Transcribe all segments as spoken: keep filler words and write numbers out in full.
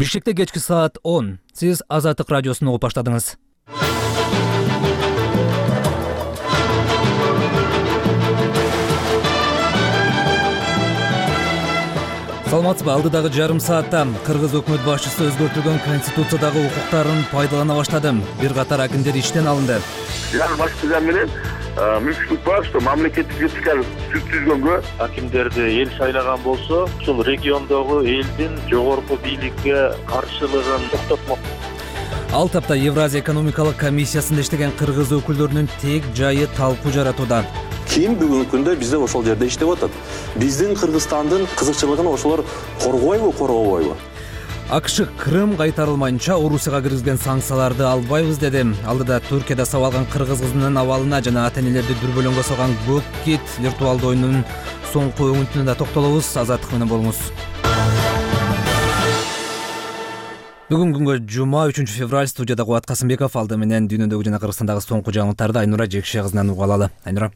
Бишкекте кечки саат он. Сиз Азаттык радиосун угуп баштадыңыз. Саламатсызбы? Алдыдагы жарым саатта Кыргыз өкмөт башчысы өзгөртүлгөн конституциядагы укуктарын пайдалана баштады. Бир катар акимдер иштен алынды. Жаңы башчылар менен мүмкүнчүлүк бар, что мамлекеттик вертикаль сүт түзгөнгө акимдерди эл шайлаган болсо, ушул региондогу элдин жогорку бийликке каршылыгын токтотмок. Ал тапта Евразия экономикалык комиссиясында иштеген кыргыз өкүлдөрүнүн тек жайы талкуу жаратууда. Ким бүгүнкү күндө бизде ошол жерде иштеп атат? Биздин Кыргызстандын кызыкчылыгын ошолор коргойбу, коргобойбу? АКШ Крым кайтарылмайынча Орусияга киргизген санкцияларды албайбыз деди. Алдыда Түркияда сабалган кыргыз кызынын абалына жана ата-энелерди дүрбөлөңгө салган көк кит виртуалдуу оюнунун соңку өңүтүнө да токтолобуз. Азаттык менен болуңуз. Бүгүн күнгө жума үчүнчү февраль. Студияда Кубат Касымбеков, алды менен дүйнөдөгү жана Кыргызстандагы соңку жаңылыктарды Айнура Жекше кызынан угуп алалы. Айнура.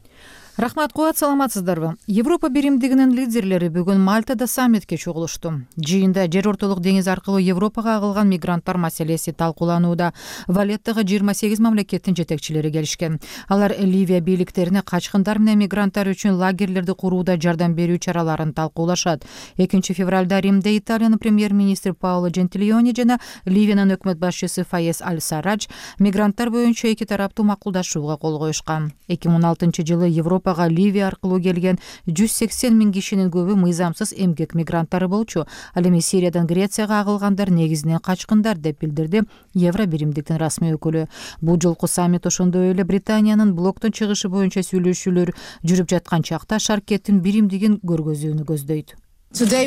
Рахмат, Кубат, саламатсыздарбы? Европа биримдигинин лидерлери бүгүн Мальтада саммитке чогулушту. Жыйында жер ортолук деңиз аркылуу Европага агылган мигранттар маселеси талкууланууда. Валеттагы жыйырма сегиз мамлекеттин жетекчилери келишкен. Алар Ливия бийликтерине качкындар менен мигранттар үчүн лагерлерди курууда жардам берүү чараларын талкуулашат. экинчи февралда Римде Италиянын премьер-министри Паоло Джентилиони жана Ливиянын өкмөт башчысы Фаез Аль-Сарадж мигранттар боюнча эки тараптуу макулдашууга кол коюшкан. эки миң он алтынчы жылы Европа Ливия аркылуу келген жүз сексен миң кишинин көбү мыйзамсыз эмгек мигранттары болчу. Ал эми Сириядан Грецияга агылгандар негизинен качкындар деп билдирди Евро биримдиктин расмий өкүлү. Бул жолку саммит ошондой эле Британиянын блоктун чыгышы боюнча сүйлөшүүлөр жүрүп жаткан чакта шаркеттин биримдигин көргөзүүнү көздөйт. Биз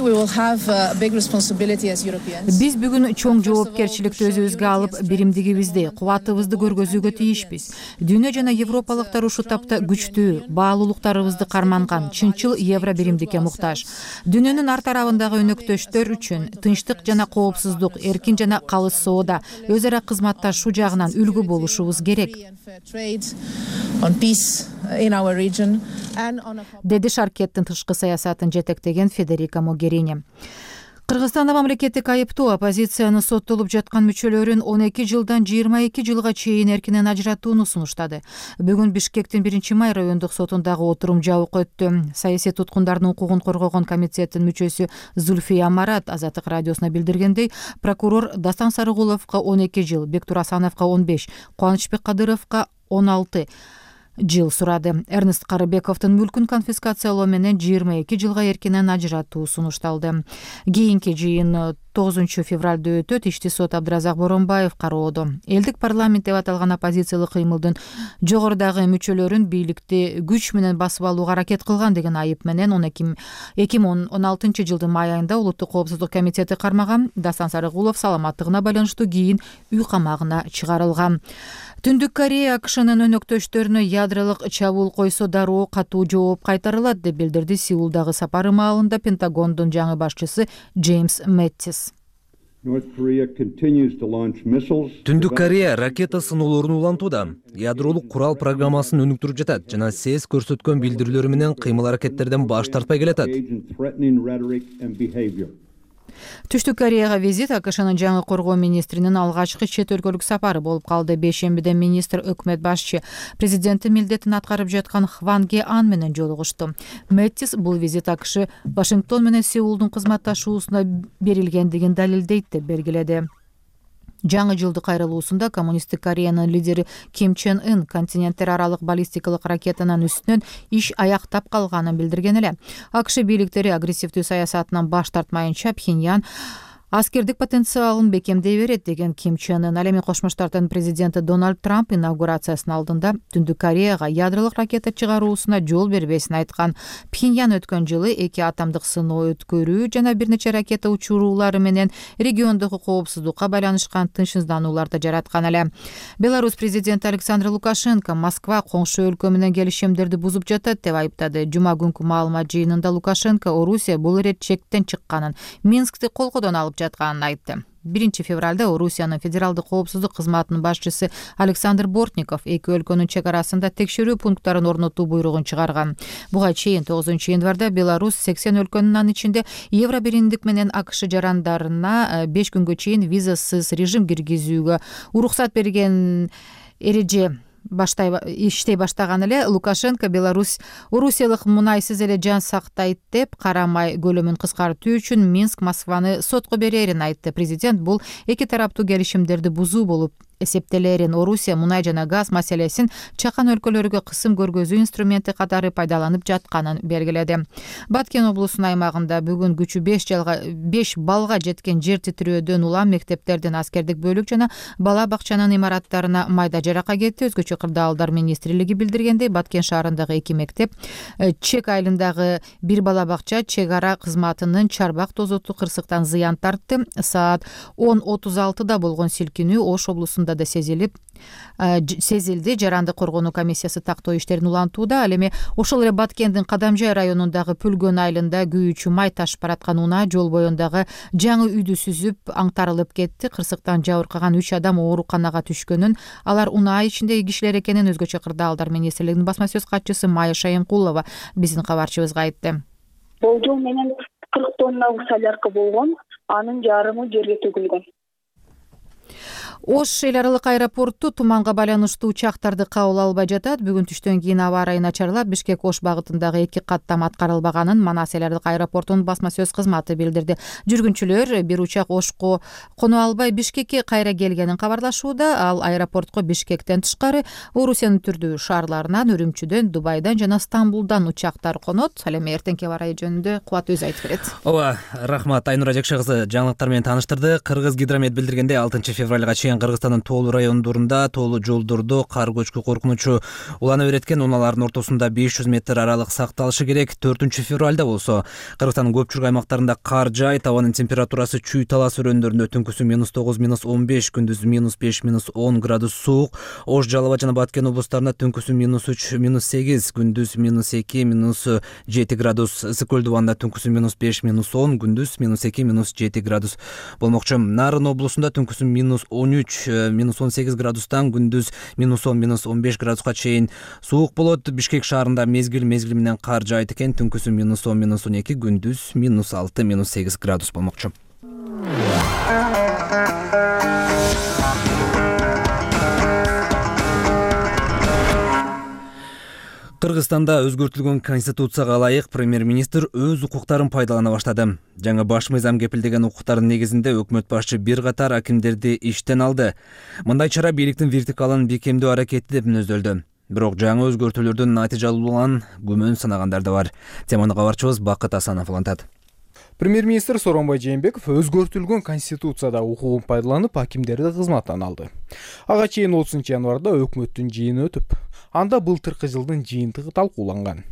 бүгүн чоң жоопкерчиликти өзүбүзгө алып, биримдигибизди, кубатыбызды көргөзүүгө тийишпиз. Дүйнө жана европалыктар ушул тапта күчтүү, баалуулуктарыбызды карманган чынчыл Евро биримдикке муктаж. Дүйнөнүн ар тарабындагы өнөктөштөр үчүн тынчтык жана коопсуздук, эркин жана калыс соода, өз ара кызматташуу жагынан үлгү болушубуз керек, деди шаркеттин тышкы саясатын жетектеген Федерика Могерини. Кыргызстанда мамлекеттик айыптуу оппозициянын соттолуп жаткан мүчөлөрүн он эки жылдан жыйырма эки жылга чейин эркинен ажыратууну сунуштады. Бүгүн Бишкектин биринчи май райондук сотундагы отурум жабык өттү. Саясий туткундардын укугун коргогон комитеттин мүчөсү Зульфия Марат Азаттык радиосуна билдиргендей, прокурор Дастан Сарыгуловго он эки жыл, Бектур Асановго он беш, Кубанычбек Кадыровго он алты жыл сурады. Эрнест Карыбековдун мүлкүн конфискациялоо менен жыйырма эки жылга эркинен ажыратуу сунушталды. Кийинки жыйын тогузунчу февралда өтөт. Ишти сот Абдыразак Боронбаев кароодо. Элдик парламент деп аталган оппозициялык кыймылдын жогорудагы мүчөлөрүн бийликти күч менен басып алууга аракет кылган деген айып менен эки миң он алтынчы жылдын май айында Улуттук коопсуздук комитети кармаган. Дастан Сарыгулов саламаттыгына байланыштуу кийин үй камагына чыгарылган. Түндүк Корея АКШнын өнөктөштөрүнө ядролук чабуул койсо дароо катуу жооп кайтарылат деп билдирди Сеулдагы сапары маалында Пентагондун жаңы башчысы Джеймс Мэттис. Түндүк Корея ракета сыноолорун улантууда. Ядролук курал программасын өнүктүрүп жатат жана СЭС көрсөткөн билдирүүлөрү менен кыймыл-аракеттерден баш тартпай келатат. Түштүк Кореяга визит АКШнын жаңы коргоо министринин алгачкы чет өлкөлүк сапары болуп калды. Бейшембиде министр өкмөт башчы президенттин милдетин аткарып жаткан Хван Ге Ан менен жолугушту. Мэттис бул визит АКШ Вашингтон менен Сеулдун кызматташуусуна берилгендигин далилдейт деп белгиледи. Жаңы жылдык кайрылуусунда коммунисттик Кореянын лидери Ким Чен Ын континенттер аралык баллистикалык ракетанын үстүнөн иш аяктап калганын билдирген эле. АКШ бийликтери агрессивдүү саясатынан баш тартмайынча Пхеньян аскердик потенциалын бекемдей берет деген Ким Чен Ын. Ал эми Кошмо Штаттын президенти Дональд Трамп инаугурациясынын алдында Түндүк Кореяга ядролук ракета чыгаруусуна жол бербесин айткан. Пхеньян өткөн жылы эки атомдук сыноо өткөрүү жана бир нече ракета учуруулары менен региондогу коопсуздукка байланышкан тынчсызданууларды жараткан эле. Беларусь президенти Александр Лукашенко Москва коңшу өлкө менен келишимдерди бузуп жатат деп айыптады. Жума күнкү маалымат жыйынында Лукашенко Орусия бул ирет чектен чыкканын, Минскти колкодон алып жатканын айтты. биринчи февралда Орусиянын федералдык коопсуздук кызматынын башчысы Александр Бортников эки өлкөнүн чек арасында текшерүү пункттарын орнотуу буйругун чыгарган. Буга чейин тогузунчу январда Беларусь сексен өлкөнүн анын ичинде Евро биримдик менен АКШ жарандарына беш күнгө чейин визасыз режим киргизүүгө уруксат берген эреже баштай иштей баштаган эле Лукашенко Беларусь Орусиялык мунайсыз эле жан сактайт деп карамай көлөмүн кыскартуу үчүн Минск Москваны сотко берерин айтты. Президент бул эки тараптуу келишимдерди бузуу болуп эсептелерин. Орусия мунай жана газ маселесин чакан өлкөлөргө кысым көргөзүү инструменти катары пайдаланып жатканын белгиледи. Баткен облусунун аймагында бүгүн күчү беш балга жеткен жер титирөөдөн улам мектептердин, аскердик бөлүк жана бала бакчанын имараттарына майда жарака кетти. Өзгөчө кырдаалдар министрлиги билдиргендей, Баткен шаарындагы эки мектеп, Чек айылындагы бир бала бакча чек ара кызматынын чарбак тозоту кырсыктан зыян тартты. Саат он отуз алтыда болгон силкинүү Ош облусунда да сезилип сезилди. Жаранды коргонуу комиссиясы тактоо иштерин улантууда. Ал эми ошол эле Баткендин Кадамжай районундагы Пүлгөн айылында күйүүчү май ташып бараткан унаа жол боюндагы жаңы үйдү сүзүп аңтарылып кетти. Кырсыктан жабыркаган үч адам ооруканага түшкөнүн, алар унаа ичиндеги кишилер экенин өзгөчө кырдаалдар министрлигинин басма сөз катчысы Майя Шайымкулова биздин кабарчыбызга айтты. Болжол менен кырк тонна солярка болгон, анын жарымы жерге төгүлгөн. Ош эл аралык аэропорту туманга байланыштуу учактарды кабыл албай жатат. Бүгүн түштөн кийин аба ырайы начарлап, Бишкек Ош багытындагы эки каттам аткарылбаганын Манас эл аралык аэропортунун басма сөз кызматы билдирди. Жүргүнчүлөр бир учак Ошко коно албай Бишкекке кайра келгенин кабарлашууда. Ал аэропортко Бишкектен тышкары Орусиянын түрдүү шаарларынан, Үрүмчүдөн, Дубайдан жана Стамбулдан учактар конот. Ал эми эртеңки аба ырайы жөнүндө Кубат өзү айтып берет. Ооба, рахмат. Айнура Жакшы кызы жаңылыктар менен тааныштырды. Кыргыз гидромет билдиргендей, алтынчы февралга чейин Кыргызстандын тоолуу райондорунда тоолуу жолдордо кар көчкү коркунучу улана берет экен. Унаалардын ортосунда беш жүз метр аралык сакталышы керек. төртүнчү февралда болсо Кыргызстандын көпчүлүк аймактарында кар жаайт. Абанын температурасы чүй талас өрөөндөрүндө түнкүсү минус тогуз, минус он беш, күндүзү минус беш, минус он градус суук. Ош, Жалал абад жана Баткен облустарында түнкүсү минус үч, минус сегиз, күндүз минус эки, минус жети градус. Ысык көл дубанда түнкүсү минус беш, минус он, күндүз минус эки, минус жети градус болмокчу. Нарын облусунда түнкүсү минус он үч, минус он сегиз градустан, күндүз минус он, минус он беш градуска чейин суук болот. Бишкек шаарында мезгил мезгил менен кар жаайт экен. Түнкүсү минус он, минус он эки, күндүз минус алты, минус сегиз градус болмокчу. Кыргызстанда өзгөртүлгөн конституцияга ылайык премьер-министр өз укуктарын пайдалана баштады. Жаңы баш мыйзам кепилдеген укуктардын негизинде өкмөт башчы бир катар акимдерди иштен алды. Мындай чара бийликтин вертикалын бекемдөө аракети деп мүнөздөлдү. Бирок жаңы өзгөртүүлөрдүн натыйжалуулугунан күмөн санагандар да бар. Теманы кабарчыбыз Бакыт Асанов улантат. Премьер-министр Сооронбай Жээнбеков өзгөртүлгөн конституцияда укугун пайдаланып акимдерди кызматтан алды. Ага чейин отузунчу январда өкмөттүн жыйыны өтүп, анда былтыркы жылдын жыйынтыгы талкууланган.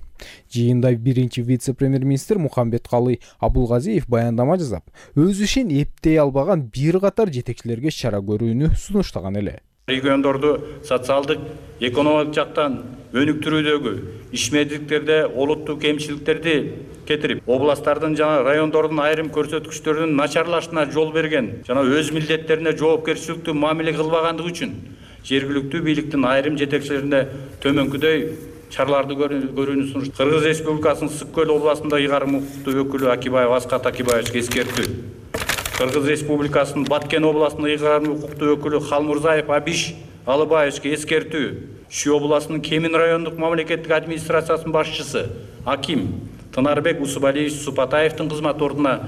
Жыйында биринчи вице-премьер-министр Мухамбеткалый Абулгазиев баяндама жасап, өз ишин эптей албаган бир катар жетекчилерге чара көрүүнү сунуштаган эле. Региондорду социалдык, экономикалык жактан өнүктүрүүдөгү ишмердиктерде олуттуу кемчиликтерди кетирип, областтардын жана райондордун айрым көрсөткүчтөрүнүн начарлашына жол берген жана өз милдеттерине жоопкерчиликтүү мамиле кылбагандыгы үчүн жергиликтүү бийликтин айрым жетекчилерине төмөнкүдөй чараларды көрүүнү сунуш. Кыргыз Республикасынын Ысык көл областында ыйгарым укуктуу өкүлү Акибаев Аскат Акибаевичке эскертүү. Кыргыз Республикасынын Баткен областында ыйгарым укуктуу өкүлү Халмурзаев Абиш Алыбаевичке эскертүү. Шу областынын Кемин райондук мамлекеттик администрациясынын башчысы Аким Тынарбек Усубалиевич Супатаевдин кызмат ордуна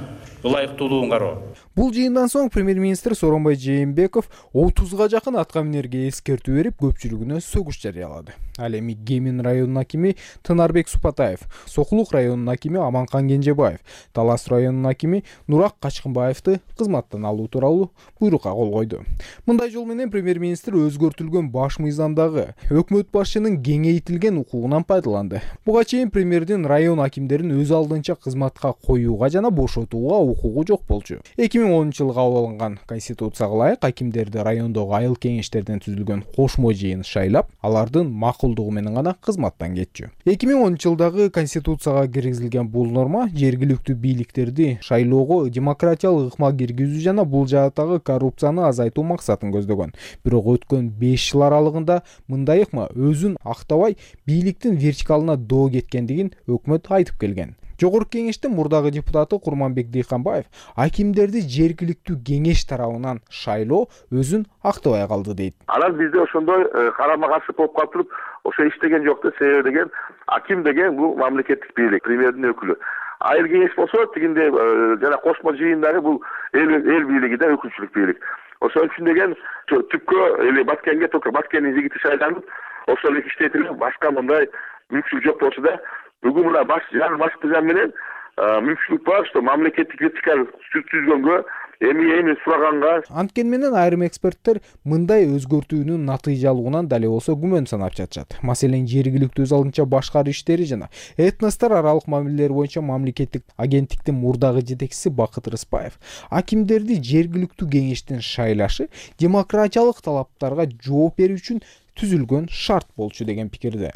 ылайыктуулугун кароо. Бул жыйындан соң премьер-министр Сооронбай Жээнбеков отузга жакын аткаминерге эскертүү берип, көпчүлүгүнө сөгүш жарыялады. Ал эми Кемин районунун акими Тынарбек Супатаев, Сокулук районунун акими Аманкан Кенжебаев, Талас районунун акими Нурак Качкынбаевди кызматтан алуу тууралуу буйрукка кол койду. Мындай жол менен премьер-министр өзгөртүлгөн баш мыйзамдагы өкмөт башчынын кеңейтилген укугунан пайдаланды. Буга чейин премьердин район акимдерин өз алдынча кызматка коюуга жана бошотууга укугу жок болчу. эки миң миң онунчу жылы кабыл алынган конституцияга ылайык акимдерди райондогу айыл кеңештерден түзүлгөн кошмо жыйын шайлап, алардын макулдугу менен гана кызматтан кетчү. эки миң онунчу жылдагы конституцияга киргизилген бул норма жергиликтүү бийликтерди шайлоого демократиялык ыкма киргизүү жана бул жааттагы коррупцияны азайтуу максатын көздөгөн. Бирок өткөн беш жыл аралыгында мындай ыкма өзүн актабай бийликтин вертикалына доо кеткендигин өкмөт айтып келген. Жогорку кеңештин мурдагы депутаты Курманбек Дыйканбаев акимдерди жергиликтүү кеңеш тарабынан шайлоо өзүн актабай калды дейт. Анан бизде ошондой карама каршы болуп калып туруп, ошо иштеген жок да. Себеби деген аким деген бул мамлекеттик бийлик, премьердин өкүлү. Айыл кеңеш болсо тигинде жана кошмо жыйындары бул эл эл бийлиги да, өкүлчүлүк бийлик. Ошон үчүн деген түпкө эле Баткенге только Баткендин жигити шайланып, ошол эле иштетилип, башка мындай мүмкүнчүлүк жок болчу да. Бүгүн мына баш жан баш тыган менен мүмкүнчүлүк бар, что мамлекеттик вертикаль түзгөнгө эми эми сураганга. Анткени менен айрым эксперттер мындай өзгөртүүнүн натыйжалууынан дале болсо күмөн санап жатышат. Маселен, жергиликтүү өз алдынча башкаруу иштери жана этностор аралык мамилелер боюнча мамлекеттик агенттиктин мурдагы жетекчиси Бакыт Рыспаев акимдерди жергиликтүү кеңештин шайлашы демократиялык талаптарга жооп берүү үчүн түзүлгөн шарт болчу деген пикирде.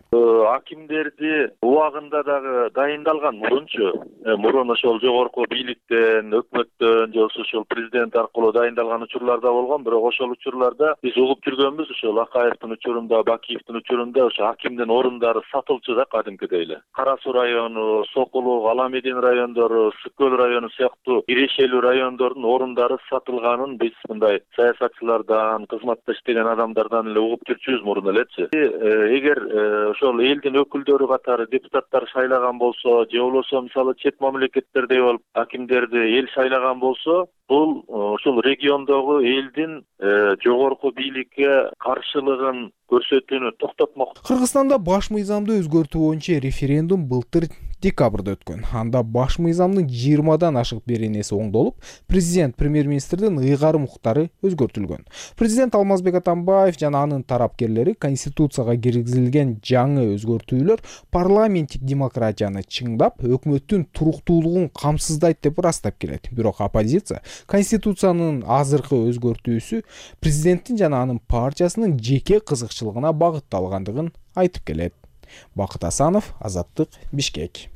Акимдерди убагында дагы дайындалган мурунчу, мурун ошол жогорку бийликтен, өкмөттөн, же ошол президент аркылуу дайындалган учурлар да болгон, бирок ошол учурларда биз угуп жүргөнбүз, ошол Акаевдин учурунда, Бакиевдин учурунда ошо акимдин орундары сатылчу да кадимкидей эле. Кара Суу району, Сокулук, Аламедин райондору, Сүт көл району сыяктуу ирешелүү райондордун орундары сатылганын биз мындай саясатчылардан, кызматта иштеген адамдардан эле угуп жүрчүбүз мурун элечи. Эгер ошол элдин өкүлдөрү катары депутаттар шайлаган болсо, же болбосо мисалы чет мамлекеттердей болуп акимдерди эл шайлаган болсо, бул ошол региондогу элдин жогорку бийликке каршылыгын көрсөтүүнү токтотмок. Кыргызстанда баш мыйзамды өзгөртүү боюнча референдум былтыр декабрда өткөн. Анда баш мыйзамдын жыйырмадан ашык беренеси оңдолуп, президент премьер-министрдин ыйгарым укуктары өзгөртүлгөн. Президент Алмазбек Атамбаев жана анын тарапкерлери конституцияга киргизилген жаңы өзгөртүүлөр парламенттик демократияны чыңдап, өкмөттүн туруктуулугун камсыздайт деп ырастап келет. Бирок оппозиция конституциянын азыркы өзгөртүүсү президенттин жана анын партиясынын жеке кызыкчылыгына багытталгандыгын айтып келет. Бакыт Асанов, Азаттык, Бишкек.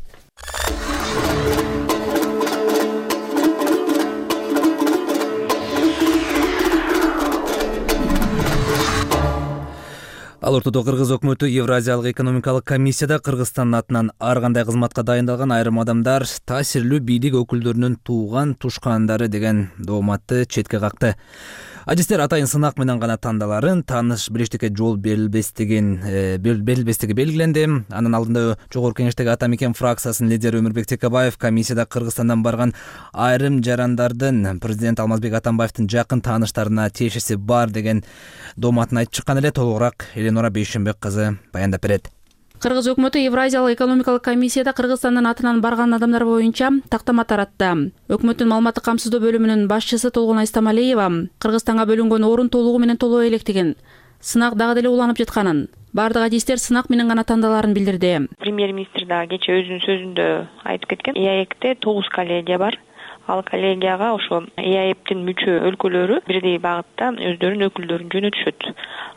Ал ортодо Кыргыз өкмөтү Евразиялык экономикалык комиссияда Кыргызстандын атынан ар кандай кызматка дайындалган айрым адамдар таасирлүү бийлик өкүлдөрүнүн тууган тушкандары деген дооматты четке какты. Адистер атайын сынак менен гана тандаларын тааныш билиштикке жол берилбестигин берилбестиги белгиленди. Анын алдында жогорку кеңештеги Ата Мекен фракциясынын лидери Өмүрбек Текебаев комиссияда Кыргызстандан барган айрым жарандардын президент Алмазбек Атамбаевдин жакын тааныштарына тиешеси бар деген дооматын айтып чыккан эле. Толугураак Эленора Бейшенбек кызы баяндап берет. Кыргыз өкмөтү Евразиялык экономикалык комиссияда Кыргызстандын атынан барган адамдар боюнча тактама таратты. Өкмөттүн маалыматтык камсыздоо бөлүмүнүн башчысы Толгон Айстамалиева Кыргызстанга бөлүнгөн орун толугу менен толоо электигин, сынак дагы деле уланып жатканын, бардык адистер сынак менен гана тандаларын билдирди. Премьер-министр дагы кече өзүнүн сөзүндө айтып кеткен. ИАЭКте тогуз коллегия бар. Ал коллегияга ошо ИАЭПтин мүчө өлкөлөрү бирдей багытта өздөрүнүн өкүлдөрүн жөнөтүшөт.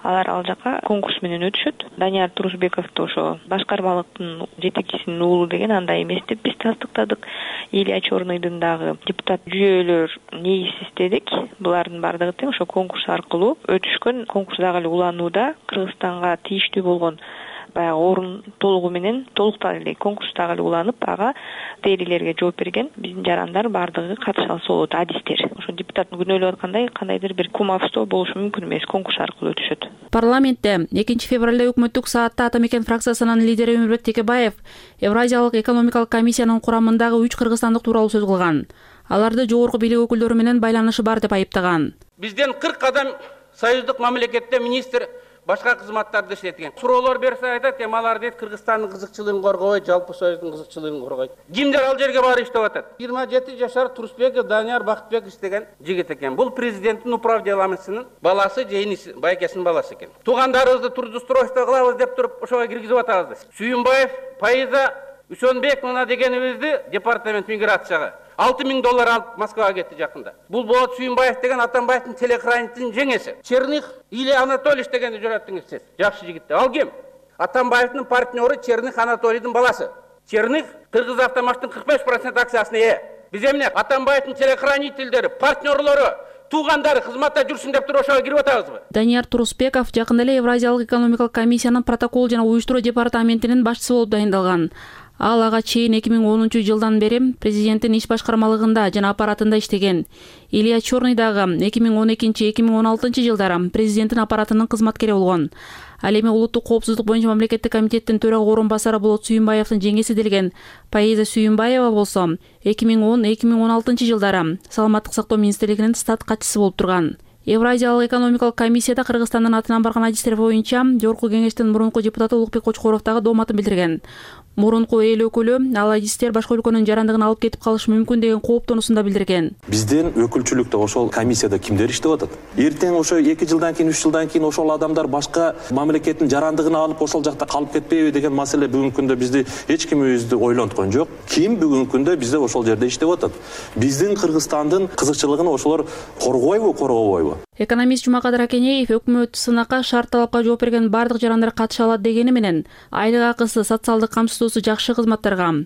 Алар ал жака конкурс менен өтүшөт. Данияр Турусбековду ошо башкармалыктын жетекчисинин уулу деген андай эмес деп биз тастыктадык. Илья Чорныйдын дагы депутат жүйөлөр нейис издедик. Булардын бардыгы тең ошо конкурс аркылуу өтүшкөн. Конкурс дагы эле уланууда. Кыргызстанга тийиштүү болгон баягы орун толугу менен толуктал эле конкурс дагы эле уланып, ага критерийлерге жооп берген биздин жарандар бардыгы катыша алса болот, адистер. Ошо депутаттын күнөөлөп аткандай кандайдыр бир кумовство болушу мүмкүн эмес, конкурс аркылуу өтүшөт. Парламентте экинчи февралда өкмөттүк саатта Ата Мекен фракциясынын лидери Өмүрбек Текебаев Евразиялык экономикалык комиссиянын курамындагы үч кыргызстандык тууралуу сөз кылган. Аларды жогорку бийлик өкүлдөрү менен байланышы бар деп айыптаган. Бизден кырк адам союздук мамлекетте министр башка кызматтарды иштеткен. Суроолор берсе айтат, эми алар дейт Кыргызстандын кызыкчылыгын коргобойт, жалпы союздун кызыкчылыгын коргойт. Кимдер ал жерге барып иштеп атат? жыйырма жети жашар Турусбеков Данияр Бакытбеков иштеген жигит экен. Бул президенттин управделамысынын баласы, жейниси, байкесинин баласы экен. Туугандарыбызды трудоустройство кылабыз деп туруп ошого киргизип атабыз. Сүйүнбаев Фаиза Үсөнбековна дегенибизди департамент миграцияга, алты миң доллар алып Москвага кетти жакында. Бул Болот Сүйүнбаев деген Атамбаевдин телохранителдин жеңеси. Черных Илья Анатольевич дегенди жүрөттүңүз сиз. Жакшы жигит. Ал ким? Атамбаевдин партнеры Черных Анатолийдин баласы. Черных Кыргыз Автомаштын кырк беш процент акциясына ээ. Биз эмне Атамбаевдин телохранительдери, партнерлору, туугандары кызматта жүрсүн деп туруп ошого кирип атабызбы? Данияр Турусбеков жакында эле Евразиялык экономикалык комиссиянын протокол жана уюштуруу департаментинин башчысы болуп дайындалган. Ал ага чейин эки миң онунчу жылдан бери президенттин иш башкармалыгында жана аппаратында иштеген. Илья Чорный дагы эки миң он экинчи эки миң он алтынчы жылдары президенттин аппаратынын кызматкери болгон. Ал эми улуттук коопсуздук боюнча мамлекеттик комитеттин төрага орун басары Болот Сүйүнбаевдин жеңеси делген Паиза Сүйүнбаева болсо эки миң он эки миң он алтынчы жылдары саламаттык сактоо министрлигинин стат катчысы болуп турган. Евразиялык экономикалык комиссияда Кыргызстандын атынан барган адистер боюнча Жогорку кеңештин мурунку депутаты Улукбек Кочкоров дагы дооматын билдирген. Мурунку эл өкүлү ал адистер башка өлкөнүн жарандыгын алып кетип калышы мүмкүн деген кооптонуусун да билдирген. Бизден өкүлчүлүктө ошол комиссияда кимдер иштеп атат? Эртең ошо эки жылдан кийин, үч жылдан кийин ошол адамдар башка мамлекеттин жарандыгын алып ошол жакта калып кетпейби деген маселе бүгүнкү күндө бизди эч кимибизди ойлонткон жок. Ким бүгүнкү күндө бизде ошол жерде иштеп атат? Биздин Кыргызстандын кызыкчылыгын ошолор коргойбу, коргобойбу? Экономист Жумакадыр Акенеев өкмөт сынакка шарт талапка жооп берген бардык жарандар катыша алат дегени менен айлык акысы, социалдык камсыздоосу жакшы кызматтарга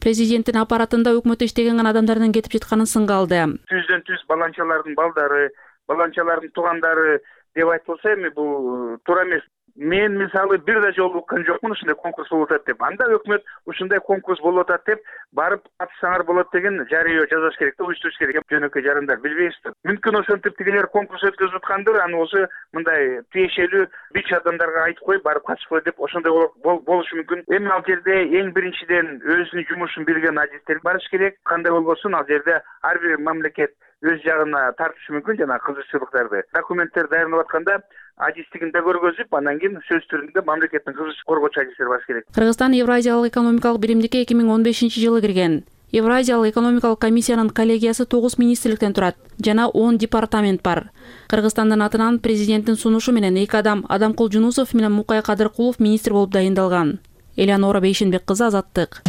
президенттин аппаратында өкмөттө иштеген гана адамдардын кетип жатканын сынга алды. Түздөн түз баланчалардын балдары, баланчалардын туугандары деп айтылса, эми бул туура эмес. Мен мисалы бир да жолу уккан жокмун ушундай конкурс болуп атат деп. Анда өкмөт ушундай конкурс болуп атат деп барып катышсаңар болот деген жарыйоо жазыш керек да, уюштуруш керек. Жөнөкөй жарандар билбейсиздер. Мүмкүн ошентип тигилер конкурс өткөзүп аткандыр, аны болсо мындай тиешелүү бич адамдарга айтып коюп барып катышпой деп ошондой болушу мүмкүн. Эми ал жерде эң биринчиден өзүнүн жумушун билген адистер барыш керек. Кандай болбосун ал жерде ар бир мамлекет өз жагына тартышы мүмкүн жана кызыкчылыктарды. Документтер даярдап атканда адистигин да көргөзүп, андан кийин сөз түрүндө мамлекеттин кызыкчылык коргоочу адистер бар керек. Кыргызстан Евразиялык экономикалык биримдикке эки миң он бешинчи жылы кирген. Евразиялык экономикалык комиссиянын коллегиясы тогуз министрликтен турат жана он департамент бар. Кыргызстандын атынан президенттин сунушу менен эки адам Адамкул Жунусов менен Мукай Кадыркулов министр болуп дайындалган. Элеонора Бейшенбек кызы, Азаттык.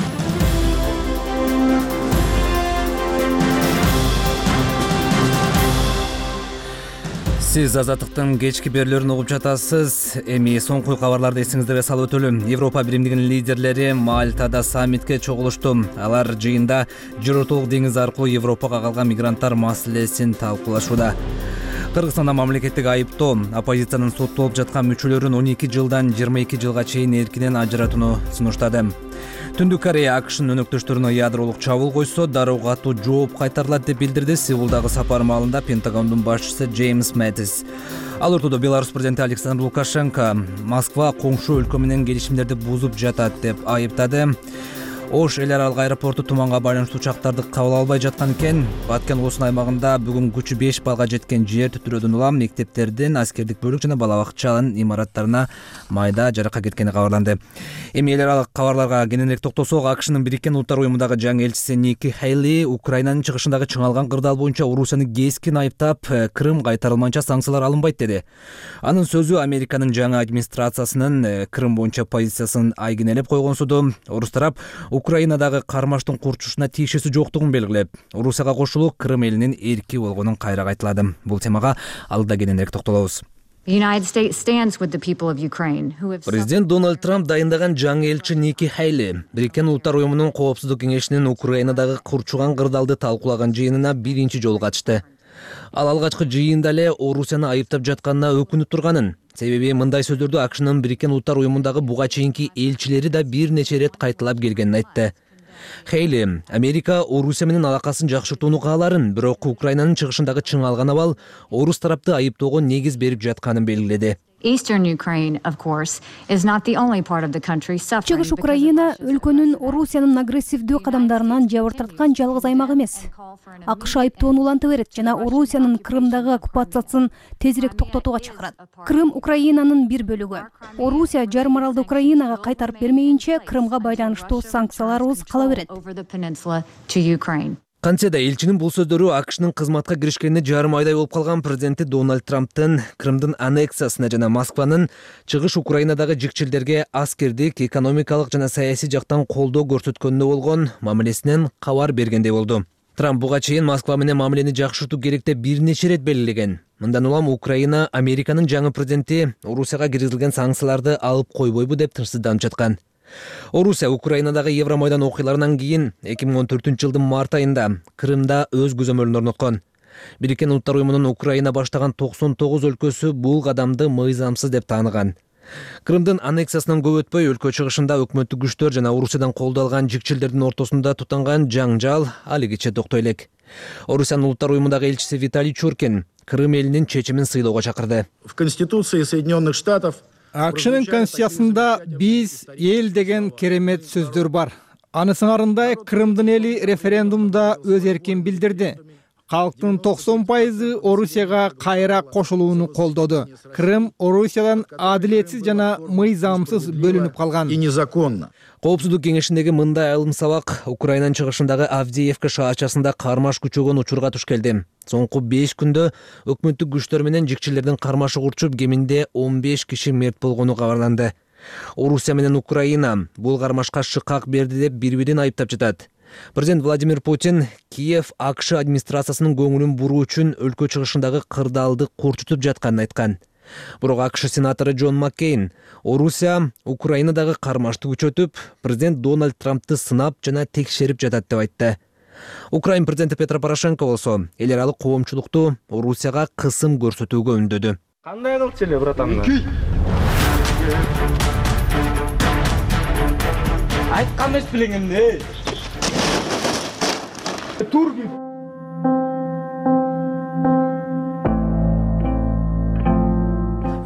Сиз Азаттыктын кечки берүүлөрүн угуп жатасыз. Эми соңку кабарларды эсиңиздерге салып өтөлүм. Европа биримдигинин лидерлери Мальтада саммитке чогулушту. Алар жыйында Жерортолук деңизи аркылуу Европага калган мигранттар маселесин талкуулашууда. Кыргызстанда мамлекеттик айыптоо оппозициянын соттолуп жаткан мүчөлөрүн он эки жылдан жыйырма эки жылга чейин эркинен ажыратууну сунуштады. Түндүк Корея АКШнын өнөктөштөрүнө ядролук чабуул койсо, дароо катуу жооп кайтарылат деп билдирди Сеулдагы сапар маалында Пентагондун башчысы Джеймс Мэттис. Ал ортодо Беларусь президенти Александр Лукашенко Москва коңшу өлкө менен келишимдерди бузуп жатат деп айыптады. Ош эл аралык аэропорту туманга байланыштуу учактарды кабыл албай жаткан экен. Баткен облусунун аймагында бүгүн күчү беш балга жеткен жер титирөөдөн улам мектептердин, аскердик бөлүк жана бала бакчанын имараттарына майда жаракка кеткени кабарланды. Эми эл аралык кабарларга кененирээк токтолсок, АКШнын Бириккен Улуттар уюмундагы жаңы элчиси Ники Хейли Украинанын чыгышындагы чыңалган кырдаал боюнча Орусияны кескин айыптап, Крым кайтарылмайынча санкциялар алынбайт деди. Анын сөзү Американын жаңы администрациясынын Крым боюнча позициясын айгинелеп койгонсуду. Орус тарап Украинадагы кармаштын курчушуна тиешеси жоктугун белгилеп, Орусияга кошулуп, Крым элинин эрки болгонун кайра кайталады. Бул темага алда кененирээк токтолобуз. Президент Дональд Трамп дайындаган жаңы элчи Ники Хейли Бириккен Улуттар уюмунун коопсуздук кеңешинин Украинадагы курчуган кырдаалды талкуулаган жыйынына биринчи жолу катышты. Ал алгачкы жыйында эле Орусияны айыптап жатканына өкүнүп турганын, себеби мындай сөздөрдү АКШнын Бириккен Улуттар уюмундагы буга чейинки элчилери да бир нече ирет кайталап келгенин айтты. Хейли Америка Орусия менен алакасын жакшыртууну кааларын, бирок Украинанын чыгышындагы чыңалган абал Орус тарапты айыптоого негиз берип жатканын белгиледи. Чыгыш Украина өлкөнүн Орусиянын агрессивдүү кадамдарынан жабыр тарткан жалгыз аймак эмес. АКШ айыптоону уланта берет жана Орусиянын Крымдагы оккупациясын тезирээк токтотууга чакырат. Крым Украинанын бир бөлүгү. Орусия жарым аралды Украинага кайтарып бермейинче Крымга байланыштуу санкцияларыбыз кала берет. Кантсе да элчинин бул сөздөрү АКШнын кызматка киришкенине жарым айдай болуп калган президенти Дональд Трамптын Крымдын аннексиясына жана Москванын чыгыш Украинадагы жикчилдерге аскердик, экономикалык жана саясий жактан колдоо көрсөткөнүнө болгон мамилесинен кабар бергендей болду. Трамп буга чейин Москва менен мамилени жакшыртуу керек деп бир нече ирет белгилеген. Мындан улам Украина Американын жаңы президенти Орусияга киргизилген санкцияларды алып койбойбу деп тынчсызданып жаткан. Орусия Украинадагы Евромайдан окуяларынан кийин эки миң он төртүнчү жылдын март айында Крымда өз көзөмөлүн орноткон. Бириккен Улуттар уюмунун Украина баштаган токсон тогуз өлкөсү бул кадамды мыйзамсыз деп тааныган. Крымдын аннексиясынан көп өтпөй өлкө чыгышында өкмөттүк күчтөр жана Орусиядан колдоо алган жикчилдердин ортосунда тутанган жаңжал алигиче токтой элек. Орусиянын Улуттар уюмундагы элчиси Виталий Чуркин Крым элинин чечимин сыйлоого чакырды. В Конституции Соединенных Штатов АКШнын конституциясында биз эл деген керемет сөздөр бар. Аны сыңарындай Крымдын эли референдумда өз эркин билдирди. Калктын токсон пайызы Орусияга кайра кошулууну колдоду. Крым Орусиядан адилетсиз жана мыйзамсыз бөлүнүп калган. И незаконно. Коопсуздук кеңешиндеги мындай айылым сабак Украинанын чыгышындагы Авдеевка шаарчасында кармаш күчөгөн учурга туш келди. Соңку беш күндө өкмөттүк күчтөр менен жикчилердин кармашы урчуп, кеминде он беш киши мерт болгону кабарланды. Орусия менен Украина бул кармашка шыкак берди деп бири-бирин айыптап жатат. Президент Владимир Путин Киев АКШ администрациясынын көңүлүн буруу үчүн өлкө чыгышындагы кырдаалды курчутуп жатканын айткан. Бирок АКШ сенатору Джон Маккейн Орусия Украинадагы кармашты күчөтүп, президент Дональд Трампты сынап жана текшерип жатат деп айтты. Украин президенти Петро Порошенко болсо эл аралык коомчулукту Орусияга кысым көрсөтүүгө үндөдү. Кандай кылчу эле братан? Айткан эмес белең эмне? Тур.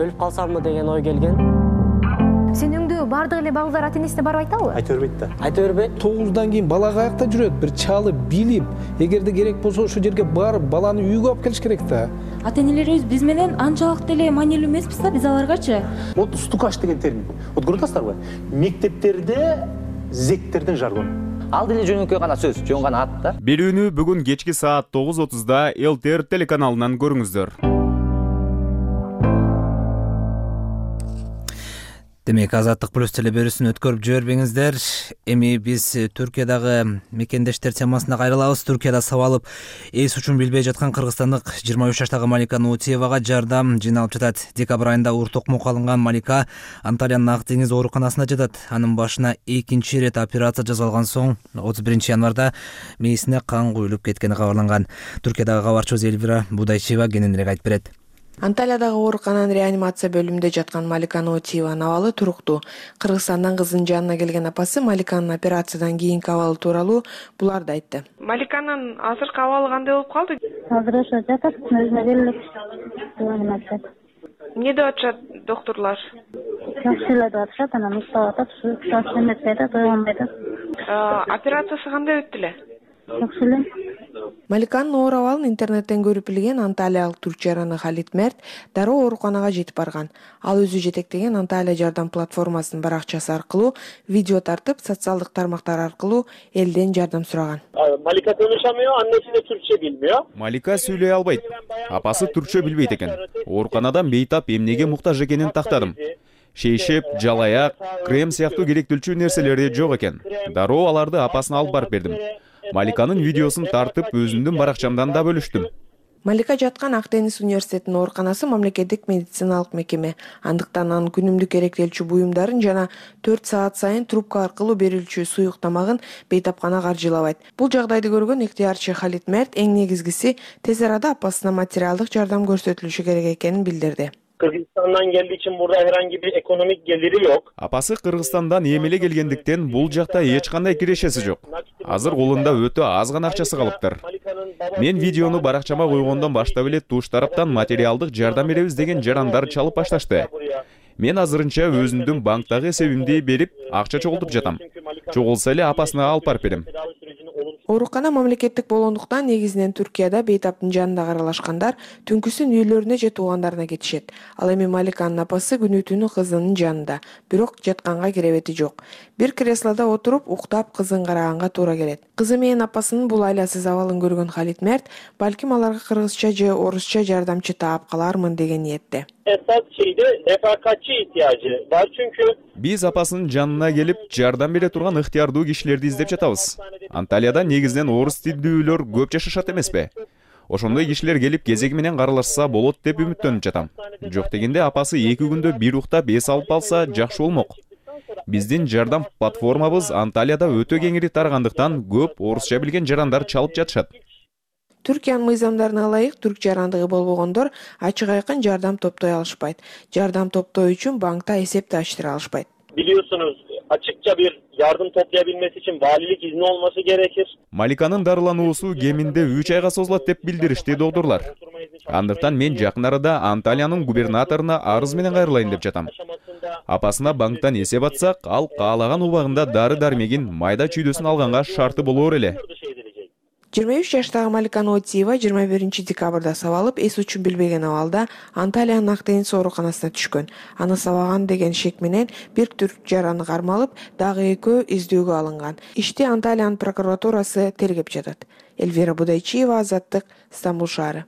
Өлүп калсамбы деген ой келген. Сен өңдө бардык эле балдар ата энесине барып айтабы? Айта бербейт да. Айта бербейт. тогуздан кийин бала каякта жүрөт? Бир чалы билип, эгерде керек болсо ошол жерге барып, баланы үйгө алып келиш керек да. Ата энелерибиз биз менен анчалык деле маанилүү эмеспиз да биз аларгачы. Вот стукач деген термин. Вот көрүп атасыздарбы? Мектептерде зектердин жаргону. Ал деле жөнөкөй гана сөз, жөн гана ат да. Берүүнү бүгүн кечки саат тогуз отузда эл тэ эр телеканалынан көрүңүздөр. Демек, Азаттык плюс телеберүүсүн өткөрүп жибербеңиздер. Эми биз Түркиядагы мекендештер темасына кайрылабыз. Түркияда сабалып эс учун билбей жаткан кыргызстандык жыйырма үч жаштагы Малика Нутиевага жардам жыйналып жатат. Декабрь айында оор токмокко алынган Малика Анталиянын Ак деңиз ооруканасына жатат. Анын башына экинчи ирет операция жасалган соң отуз биринчи январда мээсине кан куюлуп кеткени кабарланган. Түркиядагы кабарчыбыз Эльвира Будайчиева кененирээк айтып берет. Анталиядагы оорукананын реанимация бөлүмүндө жаткан Малика Нутиеванын абалы туруктуу. Кыргызстандан кызынын жанына келген апасы Маликанын операциядан кийинки абалы тууралуу буларды айтты. Маликанын азыркы абалы кандай болуп калды? Азыр ошо жатат, өзүнө келет. Реанимация. Эмне деп атышат докторлор? Жакшы эле деп атышат, анан уктап атат, ушул эметпей атат, ойгонбой атат. Операциясы кандай өттү эле? Жакшы эле. Маликанын оор абалын интернеттен көрүп билген анталиялык түркчү жараны Халит Мерт дароо ооруканага жетип барган. Ал өзү жетектеген Анталия жардам платформасынын баракчасы аркылуу видео тартып, социалдык тармактар аркылуу элден жардам сураган. Малика конuşamıyor, annesi de Türkçe bilmiyor. Малика сүйлөй албайт. Апасы түркчө билбейт экен. Ооруканадан бейтап эмнеге муктаж экенин тактадым. Шейшеп, жалаяк, крем сыяктуу керектүүлчү нерселери жок экен. Дароо аларды апасына алып барып бердим. Маликанын видеосун тартып өзүмдүн баракчамдан да бөлүштүм. Малика жаткан Ак деңиз университетинин ооруканасы мамлекеттик медициналык мекеме. Андыктан анын күнүмдүк керектелчү буюмдарын жана төрт саат сайын трубка аркылуу берилчү суюк тамагын бейтапкана каржылабайт. Бул жагдайды көргөн ыктыярчы Халит Мерт эң негизгиси тез арада апасына материалдык жардам көрсөтүлүшү керек экенин билдирди. Kırgızistan'dan geldiği için burada herhangi bir ekonomik geliri yok. Апасы Кыргызстандан эмеле келгендиктен бул жакта эч кандай кирешеси жок. Азыр колунда өтө аз гана акчасы калыптыр. Мен видеону баракчама койгондон баштап эле туш тараптан материалдык жардам беребиз деген жарандар чалып башташты. Мен азырынча өзүмдүн банктагы эсебимди берип, акча чогултуп жатам. Чогулса эле апасына алып барып берем. Оорукана мамлекеттик болгондуктан негизинен Түркияда бейтаптын жанында каралашкандар түнкүсүн үйлөрүнө же туугандарына кетишет. Ал эми Маликанын апасы күнү түнү кызынын жанында, бирок жатканга керебети жок. Бир креслода отуруп уктап кызын караганга туура келет. Кызы менен апасынын бул айласыз абалын көргөн Халит Мерт балким аларга кыргызча же орусча жардамчы таап калармын деген ниетте. esas şeyde refakatçi ihtiyacı var çünkü биз апасынын жанына келип жардам бере турган ыктыярдуу кишилерди издеп жатабыз. Анталияда негизинен орус тилдүүлөр көп жашашат эмеспи? Ошондой кишилер келип кезеги менен каралышса болот деп үмүттөнүп жатам. Жок дегенде апасы эки күндө бир уктап эс алып алса жакшы болмок. Биздин жардам платформабыз Анталияда өтө кеңири тарагандыктан көп орусча билген жарандар чалып жатышат. Түркиянын мыйзамдарына ылайык түрк жарандыгы болбогондор ачык айкын жардам топтой алышпайт. Жардам топтоо үчүн банкта эсепти ачтыра алышпайт. Biliyorsunuz açıkça bir yardım toplayabilmesi için valilik izni olması gerekir. Маликанын дарылануусу кеминде үч айга созулат деп билдиришти доктурлар. Андыктан мен жакын арада Анталиянын губернаторуна арыз менен кайрылайын деп жатам. Апасына банктан эсеп атсак, ал каалаган убагында дары дармегин майда чүйдөсүн алганга шарты болор эле. жыйырма үч жаштагы Малика Нотиева жыйырма биринчи декабрда сабалып, эс учун билбеген абалда Анталиянын Ак деңиз ооруканасына түшкөн. Аны сабаган деген шек менен бир түрк жараны кармалып, дагы экөө издөөгө алынган. Ишти Анталиянын прокуратурасы тергеп жатат. Эльвира Будайчиева, Азаттык, Стамбул шаары.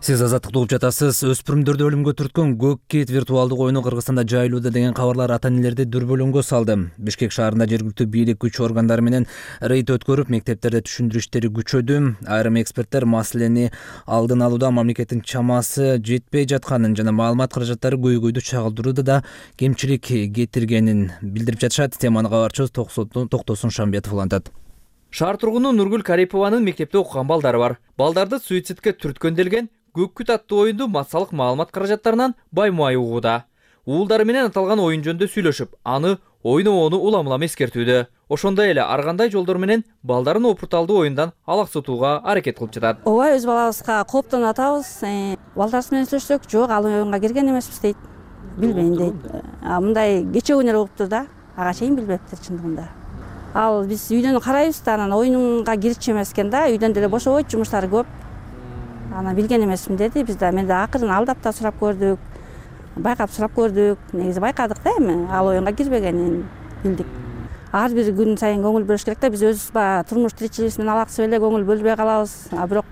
Сиз Азаттыкты угуп жатасыз. Өспүрүмдөрдү өлүмгө түрткөн көк кит виртуалдык оюну Кыргызстанда жайылууда деген кабарлар ата-энелерди дүрбөлөңгө салды. Бишкек шаарында жергиликтүү бийлик күч органдары менен рейд өткөрүп, мектептерде түшүндүрүү иштери күчөдү. Айрым эксперттер маселени алдын алууда мамлекеттин чамасы жетпей жатканын жана маалымат каражаттары көйгөйдү чагылдырууда да кемчилик кетиргенин билдирип жатышат. Теманы кабарчыбыз Токтосун Шамбетов улантат. Шаар тургуну Нургүл Карипованын мектепте окуган балдары бар. Балдарды суицидке түрткөн делген көк күт аттуу оюнду массалык маалымат каражаттарынан баймай угууда. Уулдары менен аталган оюн жөнүндө сүйлөшүп, аны ойноону улам-улам эскертүүдө. Ошондой эле ар кандай жолдор менен балдарын опурталдуу оюндан алаксытууга аракет кылып жатат. Ооба, өз балабызга кооптонуп атабыз. Балдарыбыз менен сүйлөшсөк, жок, ал оюнга кирген эмеспиз дейт. Билбейм дейт. А мындай кече күнөр болуптур да, ага чейин билбептир чындыгында. Ал биз үйдөн карайбыз да, анан оюнга кирчү эмес экен да, үйдөн деле бошобойт, жумуштары көп. Ана билген эмесмин деди. Биз да мен да акырын алдап да сурап көрдүк. Байкап сурап көрдүк. Негизи байкадык да эми ал оюнга кирбегенин билдик. Ар бир күн сайын көңүл бөлүш керек да. Биз өзүбүз баягы турмуш тиричилигибиз менен алаксып эле көңүл бөлбөй калабыз. А бирок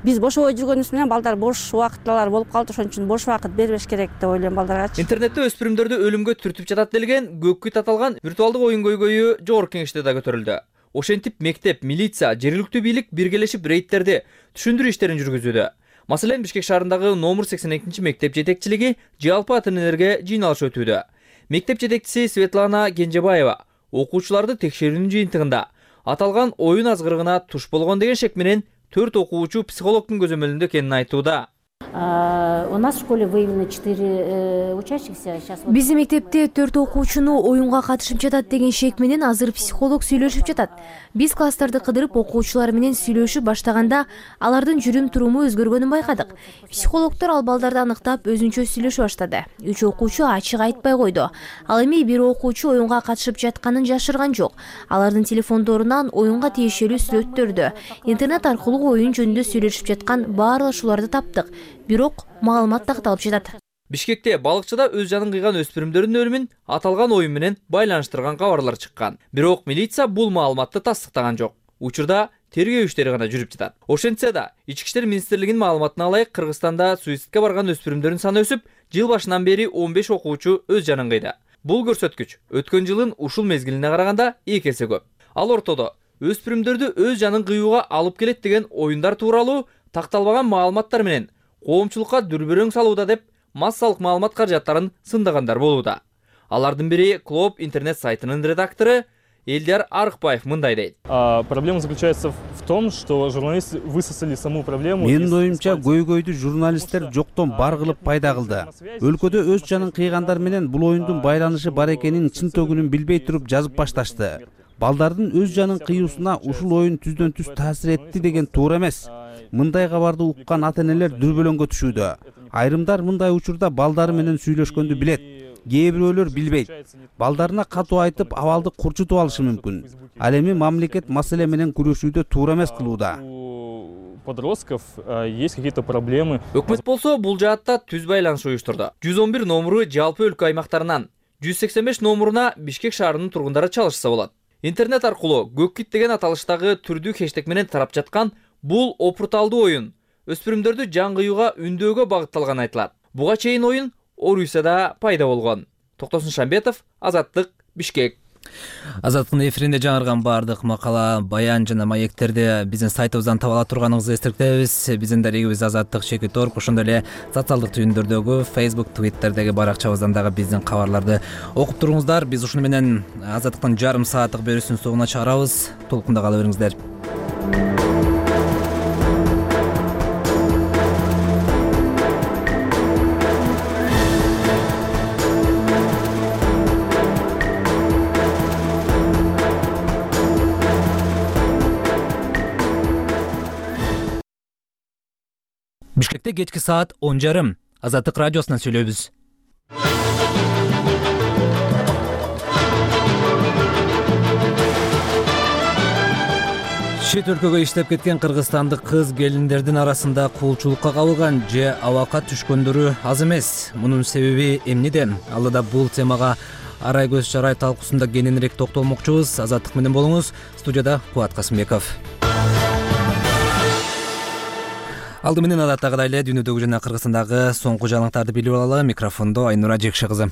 биз бошобой жүргөнүбүз менен балдар бош убакытталар болуп калды. Ошон үчүн бош убакыт бербеш керек деп ойлойм балдарга. Интернетте өспүрүмдөрдү өлүмгө түртүп жатат делген көк күт аталган виртуалдык оюн көйгөйү жогорку кеңеште да көтөрүлдү. Ошентип мектеп, милиция, жергиликтүү бийлик биргелешип рейдтерди түшүндүрүү иштерин жүргүзүүдө. Маселен, Бишкек шаарындагы номер сексен экинчи мектеп жетекчилиги жалпы ата-энелерге жыйналыш өтүүдө. Мектеп жетекчиси Светлана Кенжебаева окуучуларды текшерүүнүн жыйынтыгында аталган оюн азгырыгына туш болгон деген шек менен төрт окуучу психологдун көзөмөлүндө экенин айтууда. У нас в школе выявлено четыре учащихся. Биздин мектепте төрт окуучуну оюнга катышып жатат деген шек менен азыр психолог сүйлөшүп жатат. Биз класстарды кыдырып окуучулар менен сүйлөшүп баштаганда алардын жүрүм туруму өзгөргөнүн байкадык. Психологдор ал балдарды аныктап өзүнчө сүйлөшө баштады. Үч окуучу ачык айтпай койду. Ал эми бир окуучу оюнга катышып жатканын жашырган жок. Алардын телефондорунан оюнга тиешелүү сүрөттөрдү, интернет аркылуу оюн жөнүндө сүйлөшүп жаткан баарлашууларды таптык. Бирок маалымат такталып жатат. Бишкекте балыкчыда өз жанын кыйган өспүрүмдөрдүн өлүмүн аталган оюн менен байланыштырган кабарлар чыккан. Бирок милиция бул маалыматты тастыктаган жок. Учурда тергөө иштери гана жүрүп жатат. Ошентсе да, Ички иштер министрлигинин маалыматына ылайык Кыргызстанда суицидке барган өспүрүмдөрдүн саны өсүп, жыл башынан бери он беш окуучу өз жанын кыйды. Бул көрсөткүч өткөн жылын ушул мезгилине караганда эки эсе көп. Ал ортодо өспүрүмдөрдү өз жанын кыюуга алып келет деген оюндар тууралуу такталбаган маалыматтар менен коомчулукка дүрбөлөң салууда деп массалык маалымат каражаттарын сындагандар болууда. Алардын бири Клоп интернет сайтынын редактору Элдияр Арыкбаев мындай дейт. Проблема заключается в том, что журналисты высосали саму проблему. Менин оюмча көйгөйдү журналисттер жоктон бар кылып пайда кылды. Өлкөдө өз жанын кыйгандар менен бул оюндун байланышы бар экенин чын төгүнүн билбей туруп жазып башташты. Балдардын өз жанын кыюусуна ушул оюн түздөн түз таасир этти деген туура эмес. Мындай кабарды уккан ата-энелер дүрбөлөңгө түшүүдө. Айрымдар мындай учурда балдары менен сүйлөшкөндү билет. Кээ бирөөлөр билбейт. Балдарына катуу айтып, абалды курчутуп алышы мүмкүн. Ал эми мамлекет маселе менен күрөшүүдө туура эмес кылууда. Подростков есть какие-то проблемы. Өкмөт болсо бул жаатта түз байланыш уюштурду. жүз он бир номуру жалпы өлкө аймактарынан, жүз сексен беш номуруна Бишкек шаарынын тургундары чалышса болот. Интернет аркылуу көк кит деген аталыштагы түрдүү хештег менен тарап жаткан бул опурталдуу оюн өспүрүмдөрдү жан кыюуга үндөөгө багытталганы айтылат. Буга чейин оюн Орусияда пайда болгон. Токтосун Шамбетов, Азаттык, Бишкек. Азаттыктын эфиринде жаңырган баардык макала, баян жана маектерди биздин сайтыбыздан таба ала турганыңызды эстиртебиз. Биздин дарегибиз Азаттык чекит орг, ошондой эле социалдык түйүндөрдөгү Facebook, Twitterдеги баракчабыздан дагы биздин кабарларды окуп туруңуздар. Биз ушуну менен Азаттыктын жарым сааттык берүүсүнүн соңуна чыгарабыз. Толкунда кала бериңиздер. Бишкекте кечки саат он жарым. Азаттык радиосунан сүйлөйбүз. Чет өлкөгө иштеп кеткен кыргызстандык кыз келиндердин арасында куулчулукка кабылган же абакка түшкөндөрү аз эмес. Мунун себеби эмнеде? Алдыда бул темага Арай көз чарай талкуусунда кененирээк токтолмокчубуз. Азаттык менен болуңуз. Студияда Кубат Касымбеков. Алды менен адаттагыдай эле дүйнөдөгү жана Кыргызстандагы соңку жаңылыктарды билип алалы. Микрофондо Айнура Жекши кызы.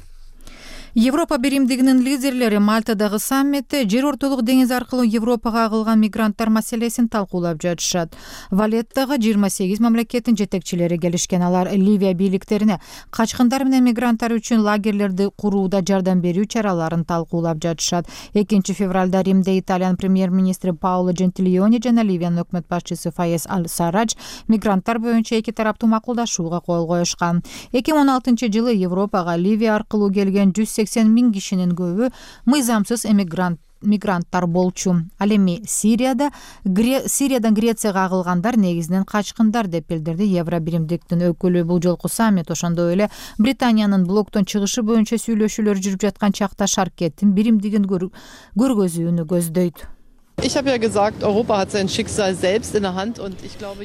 Европа биримдигинин лидерлери Мальтадагы саммитте жер ортолук деңиз аркылуу Европага агылган мигранттар маселесин талкуулап жатышат. Валеттага жыйырма сегиз мамлекеттин жетекчилери келишкен. Алар Ливия бийликтерине качкындар менен мигранттар үчүн лагерлерди курууда жардам берүү чараларын талкуулап жатышат. экинчи февралда Римде Италиянын премьер-министри Паоло Джентилиони жана Ливиянын өкмөт башчысы Фаез Аль-Сарадж мигранттар боюнча эки тараптуу макулдашууга кол коюшкан. эки миң он алтынчы жылы Европага Ливия аркылуу келген жүз сексен миң кишинин көбү мыйзамсыз эмигрант мигранттар болчу. Ал эми Сирияда Гре... Сириядан Грецияга агылгандар негизинен качкындар деп билдирди Евро биримдиктин өкүлү. Бул жолку саммит ошондой эле Британиянын блоктон чыгышы боюнча сүйлөшүүлөр жүрүп жаткан чакта Шаркеттин биримдигин көр... көргөзүүнү көздөйт.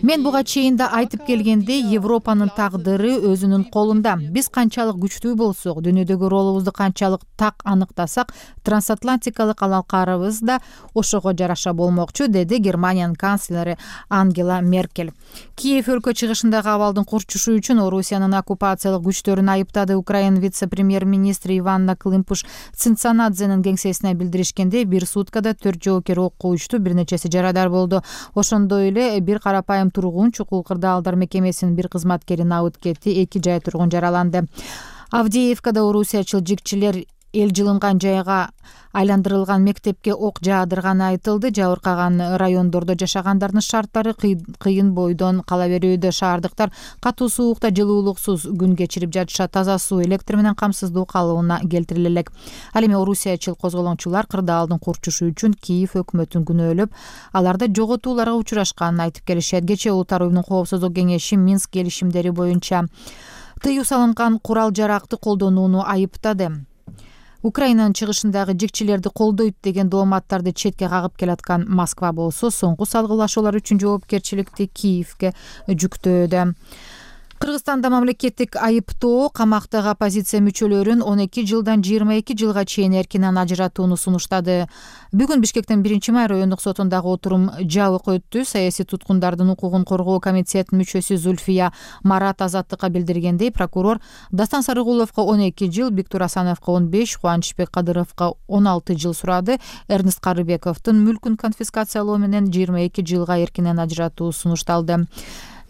Мен буга чейин да айтып келгендей, Европанын тагдыры өзүнүн колунда. Биз канчалык күчтүү болсок, дүйнөдөгү ролубузду канчалык так аныктасак, трансатлантикалык алакарыбыз да ошого жараша болмокчу, деди Германиянын канцлери Ангела Меркель. Киев өлкө чыгышындагы абалдын курчушу үчүн Орусиянын оккупациялык күчтөрүн айыптады. Украина вице-премьер-министри Иванна Климпуш-Цинцанадзенин кеңсесине билдиришкендей, бир суткада төрт жоокер коюшту, бир нечеси жарадар болду. Ошондой эле бир карапайым тургун Чукул кырдаалдар мекемесинин бир кызматкери абыт кетти, эки жай тургун жараланды. Авдеевкада орусиячыл жигчилер эл жылынган жайга айландырылган мектепке ок жаадырганы айтылды. Жабыркаган райондордо жашагандардын шарттары кыйын бойдон кала берүүдө. Шаардыктар катуу суукта жылуулуксуз күн кечирип жатышат. Таза суу, электр менен камсыздуу калыбына келтириле элек. Ал эми орусиячыл козголоңчулар кырдаалдын курчушу үчүн Киев өкмөтүн күнөөлөп, аларда жоготууларга учурашканын айтып келишет. Кечээ Улуттар уюмунун коопсуздук кеңеши Минск келишимдери боюнча тыюу салынган курал жаракты колдонууну айыптады. Украинанын чыгышындагы жигчилерди колдойт деген дооматтарды четке кагып келаткан Москва болсо, соңку салгылашуулар үчүн жоопкерчиликти Киевке жүктөөдө. Кыргызстанда мамлекеттик айыптоо камактагы оппозиция мүчөлөрүн он эки жылдан жыйырма эки жылга чейин эркинен ажыратууну сунуштады. Бүгүн Бишкектин биринчи май райондук сотундагы отурум жабык өттү. Саясий туткундардын укугун коргоо комитетинин мүчөсү Зульфия Марат Азаттыкка билдиргендей, прокурор Дастан Сарыгуловго он эки жыл, Биктур Асановго он беш, Кубанычбек Кадыровго он алты жыл сурады. Эрнест Карыбековдун мүлкүн конфискациялоо менен жыйырма эки жылга эркинен ажыратуу сунушталды.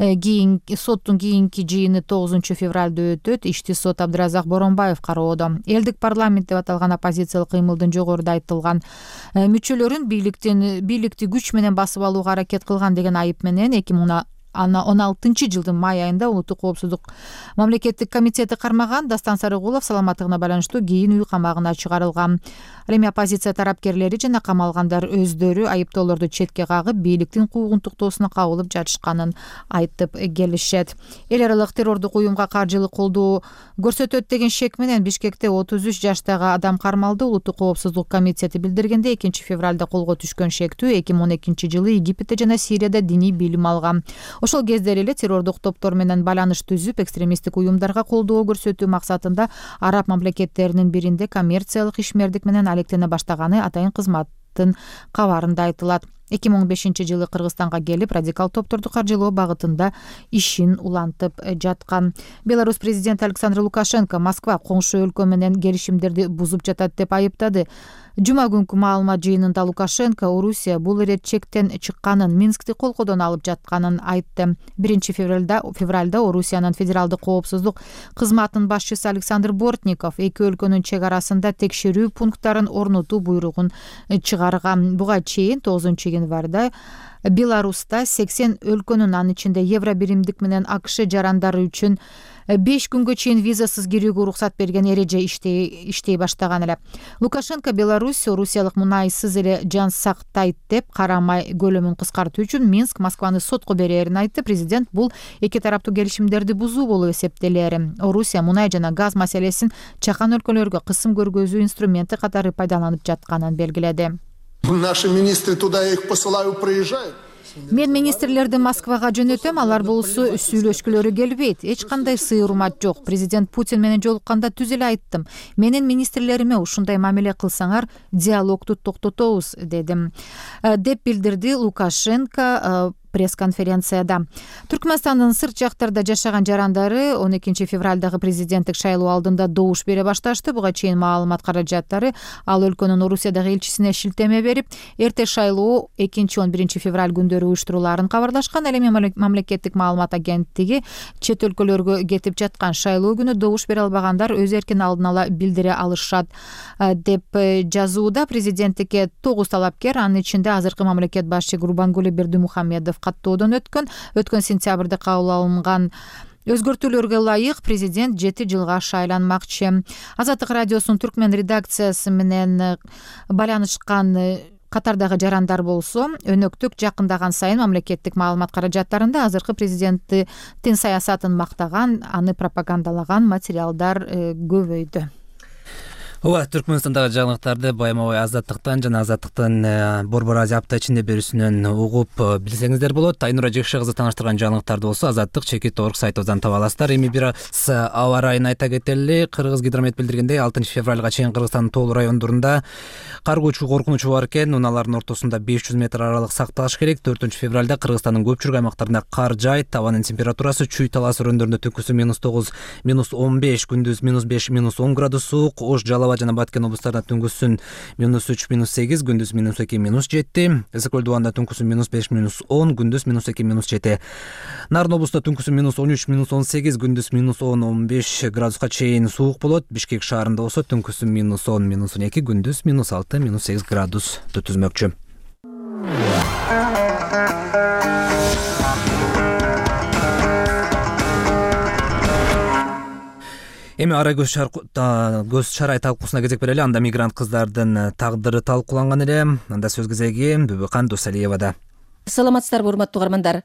Кийинки соттун кийинки жыйыны тогузунчу февралда өтөт. Ишти сот Абдыразак Боронбаев кароодо. Элдик парламент деп аталган оппозициялык кыймылдын жогоруда айтылган мүчөлөрүн бийликтин бийликти күч менен басып алууга аракет кылган деген айып менен эки миң он алтынчы жылдын май айында Улуттук коопсуздук мамлекеттик комитети кармаган. Дастан Сарыгулов саламаттыгына байланыштуу кийин үй камагына чыгарылган. Ал эми оппозиция тарапкерлери жана камалгандар өздөрү айыптоолорду четке кагып, бийликтин куугунтуктоосуна кабылып жатышканын айтып келишет. Эл аралык террордук уюмга каржылык колдоо көрсөтөт деген шек менен Бишкекте отуз үч жаштагы адам кармалды. Улуттук коопсуздук комитети билдиргендей, экинчи февралда колго түшкөн шектүү эки миң он экинчи жылы Египетте жана Сирияда диний билим алган. Ошол кезде эле террордук топтор менен байланыш түзүп, экстремисттик уюмдарга колдоо көрсөтүү максатында араб мамлекеттеринин биринде коммерциялык ишмердик менен алектене баштаганы атайын кызматтын кабарында айтылат. эки миң он бешинчи жылы Кыргызстанга келип радикал топторду каржылоо багытында ишин улантып жаткан. Беларусь президенти Александр Лукашенко Москва коңшу өлкө менен келишимдерди бузуп жатат деп айыптады. Жума күнкү маалымат жыйынында Лукашенко Орусия бул ирет чектен чыкканын, Минскти колкодон алып жатканын айтты. биринчи февралда февралда Орусиянын федералдык коопсуздук кызматынын башчысы Александр Бортников эки өлкөнүн чек арасында текшерүү пункттарын орнотуу буйругун чыгарган. Буга чейин тогузунчу январда Беларуста сексен өлкөнүн, анын ичинде Евро биримдик менен АКШ жарандары үчүн беш күнгө чейин визасыз кирүүгө уруксат берген эреже иштей иштей баштаган эле. Лукашенко Беларусь Орусиялык мунайсыз эле жан сактайт деп карамай көлөмүн кыскартуу үчүн Минск Москваны сотко берерин айтты. Президент бул эки тараптуу келишимдерди бузуу болуп эсептелери. Орусия мунай жана газ маселесин чакан өлкөлөргө кысым көргөзүү инструменти катары пайдаланып жатканын белгиледи. Наши министры туда их посылаю, проезжают. Мен министрлерди Москвага жөнөтөм, алар болсо сүйлөшкүлөрү келбейт. Эч кандай сый урмат жок. Президент Путин менен жолукканда түз эле айттым. Менин министрлериме ушундай мамиле кылсаңар, диалогду токтотобуз дедим, деп билдирди Лукашенко пресс-конференцияда. Түркмөнстандын сырт жактарда жашаган жарандары он экинчи февралдагы президенттик шайлоо алдында добуш бере башташты. Буга чейин маалымат каражаттары ал өлкөнүн Орусиядагы элчисине шилтеме берип, эрте шайлоо экинчи он биринчи февраль күндөрү уюштурулаарын кабарлашкан. Ал эми мамлекеттик маалымат агенттиги чет өлкөлөргө кетип жаткан шайлоо күнү добуш бере албагандар өз эркин алдын ала билдире алышат деп жазууда. Президенттикке тогуз талапкер, анын ичинде азыркы мамлекет башчы Гурбангулы Бердимухамедов каттоодон өткөн. Өткөн сентябрда кабыл алынган өзгөртүүлөргө ылайык президент жети жылга шайланмакчы. Азаттык радиосунун түркмен редакциясы менен байланышкан катардагы жарандар болсо, өнөктүк жакындаган сайын мамлекеттик маалымат каражаттарында азыркы президенттин саясатын мактаган, аны пропагандалаган материалдар көбөйдү. Ооба, Түркмөнстандагы жаңылыктарды байма-бай Азаттыктан жана Азаттыктын Борбор Азия апта ичинде берүүсүнөн угуп билсеңиздер болот. Айнура Жекше кызы тааныштырган жаңылыктарды болсо Азаттык чекит орг сайтыбыздан таба аласыздар. Эми бир аз аба райын айта кетели. Кыргыз гидромет билдиргендей, алтынчы февралга чейин Кыргызстандын тоолуу райондорунда кар көчүү коркунучу бар экен. Унаалардын ортосунда беш жүз метр аралык сакталыш керек. төртүнчү февралда Кыргызстандын көпчүлүк аймактарында кар жайт. Табанын температурасы Чүй талас өрөндөрүндө түнкүсү минус тогуз, минус он беш, күндүз минус беш, минус он градус суук. Ош, Жалал жана Баткен облустарында түнкүсүн минус үч, минус сегиз, күндүз минус эки, минус жети. Эсек көл дубанда түнкүсүн минус беш, минус он, күндүз минус эки, минус жети. Нарын облусту түнкүсүн минус он үч, минус он сегиз, күндүз минус он, он беш градуска чейин суук болот. Бишкек шаарында болсо түнкүсүн минус он, минус он эки, күндүз минус алты, минус сегиз градус түзмөкчү. Эми ара көз көз чарай талкуусуна кезек берели. Анда мигрант кыздардын тагдыры талкууланган эле. Анда сөз кезеги Бүбүкан Досалиевада. Саламатсыздарбы, урматтуу угармандар.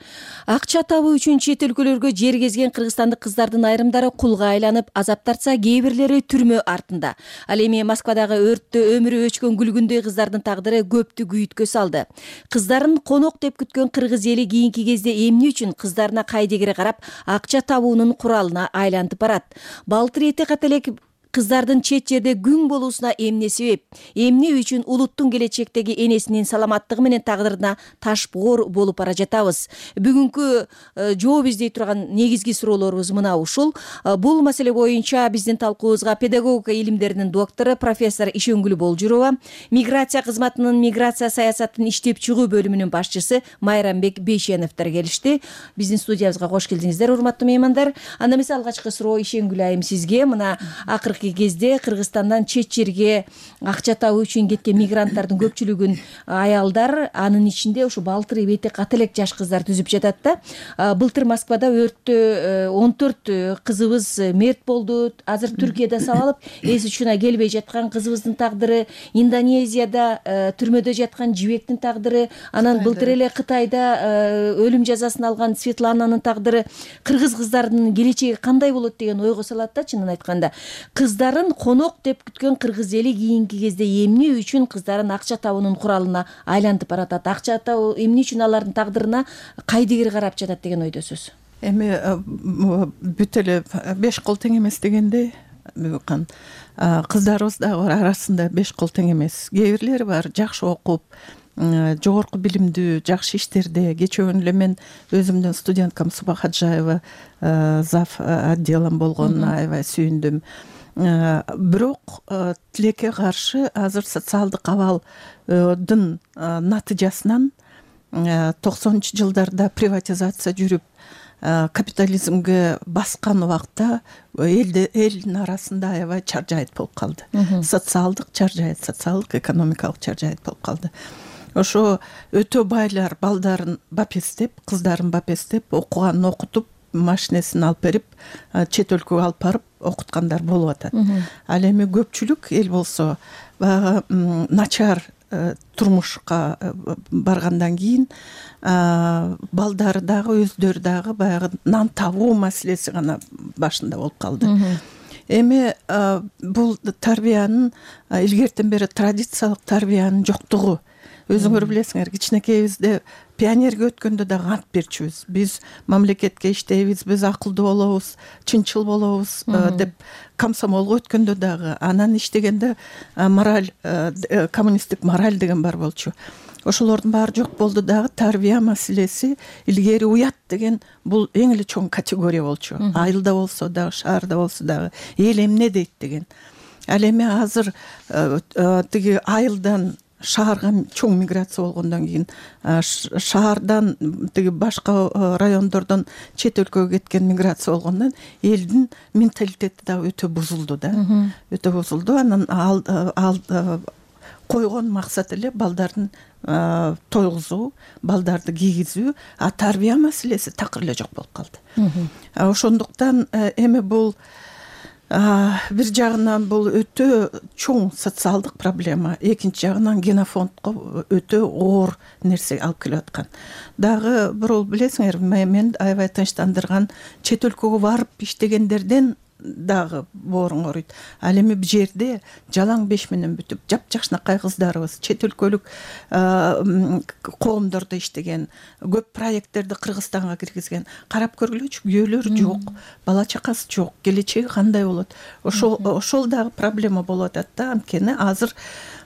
Акча табуу үчүн чет өлкөлөргө жер кезген кыргызстандык кыздардын айрымдары кулга айланып, азап тартса, кээ бирлери түрмө артында. Ал эми Москвадагы өрттө өмүрү өчкөн күлгүндөй кыздардын тагдыры көптү күйүткө салды. Кыздарын конок деп күткөн кыргыз эли кийинки кезде эмне үчүн кыздарына кайдегире карап, акча табуунун куралына айланып барат? Балтыр эте ката элек кыздардын чет жерде күң болуусуна эмне себеп? Эмне үчүн улуттун келечектеги энесинин саламаттыгы менен тагдырына таш боор болуп бара жатабыз? Бүгүнкү жооп издей турган негизги суроолорубуз мына ушул. Бул маселе боюнча биздин талкуубузга педагогика илимдеринин доктору профессор Ишенгүл Болжурова, миграция кызматынын миграция саясатын иштеп чыгуу бөлүмүнүн башчысы Майрамбек Бейшеновдор келишти. Биздин студиябызга кош келдиңиздер, урматтуу меймандар. Анда эмесе алгачкы суроо Ишенгүл айым сизге. Мына акыркы кезде Кыргызстандан чет жерге акча табуу үчүн кеткен мигранттардын көпчүлүгүн аялдар, анын ичинде ушу балтыр эбете ката элек жаш кыздар түзүп жатат да. Былтыр Москвада өрттө он төрт кызыбыз мерт болду. Азыр Түркияда сабалып, эс учуна келбей жаткан кызыбыздын тагдыры, Индонезияда түрмөдө жаткан жибектин тагдыры, анан былтыр эле Кытайда өлүм жазасын алган Светлананын тагдыры, кыргыз кыздардын келечеги кандай болот деген ойго салат да, чынын айтканда. Кыздарын конок деп күткөн кыргыз эли кийинки кезде эмне үчүн кыздарын акча табуунун куралына айлантып баратат? Акча табуу эмне үчүн алардын тагдырына кайдыгер карап жатат деген ойдосуз? Эми бүт эле беш кол тең эмес дегендей, кыздарыбыз дагы арасында беш кол тең эмес. Кээ бирлери бар, жакшы окуп, жогорку билимдүү жакшы иштерде. Кечээ күнү эле мен өзүмдүн студенткам Суба Хаджаева зав отделом болгонуна аябай сүйүндүм. Бирок тилекке каршы азыр социалдык абалдын натыйжасынан токсонунчу жылдарда приватизация жүрүп капитализмге баскан убакта элде элдин арасында аябай чаржайыт болуп калды. Социалдык чаржайыт, социалдык экономикалык чаржайыт болуп калды. Ошо өтө байлар балдарын бапестеп, кыздарын бапестеп, окуганын окутуп, машинесин алып берип, чет өлкөгө алып барып окуткандар болуп атат. Ал эми көпчүлүк эл болсо баягы начар турмушка баргандан кийин балдары дагы өздөрү дагы баягы нан табуу маселеси гана башында болуп калды. Эми бул тарбиянын илгертен бери традициялык тарбиянын жоктугу. Өзүңөр билесиңер, кичинекейибизде пионерге өткөндө дагы ант берчүбүз. Биз мамлекетке иштейбиз, биз акылдуу болобуз, чынчыл болобуз деп комсомолго өткөндө дагы анан иштегенде мораль, коммунисттик мораль деген бар болчу. Ошолордун баары жок болду дагы. Тарбия маселеси илгери уят деген бул эң эле чоң категория болчу. Айылда болсо дагы, шаарда болсо дагы эл эмне дейт деген. Ал эми азыр тиги айылдан шаарга чоң миграция болгондон кийин, шаардан тиги башка райондордон чет өлкөгө кеткен миграция болгондон элдин менталитети дагы өтө бузулду да. Өтө бузулду. Анан ал койгон максат эле балдардын тойгузуу, балдарды кийгизүү, а тарбия маселеси такыр эле жок болуп калды. Ошондуктан эми бул бир жагынан бул өтө чоң социалдык проблема, экинчи жагынан генофондко өтө оор нерсе алып келип аткан. Дагы бирөө билесиңер, мен аябай тынчтандырган чет өлкөгө барып иштегендерден дагы боорун ооруйт. Ал эми бул жерде жалаң беш менен бүтүп, жапжакшынакай кыздарыбыз чет өлкөлүк коомдордо иштеген, көп проекттерди Кыргызстанга киргизген. Карап көргүлөчү, күйөөлөрү жок, бала чакасы жок, келечеги кандай болот? Ошол ошол дагы проблема болуп атат да. Анткени азыр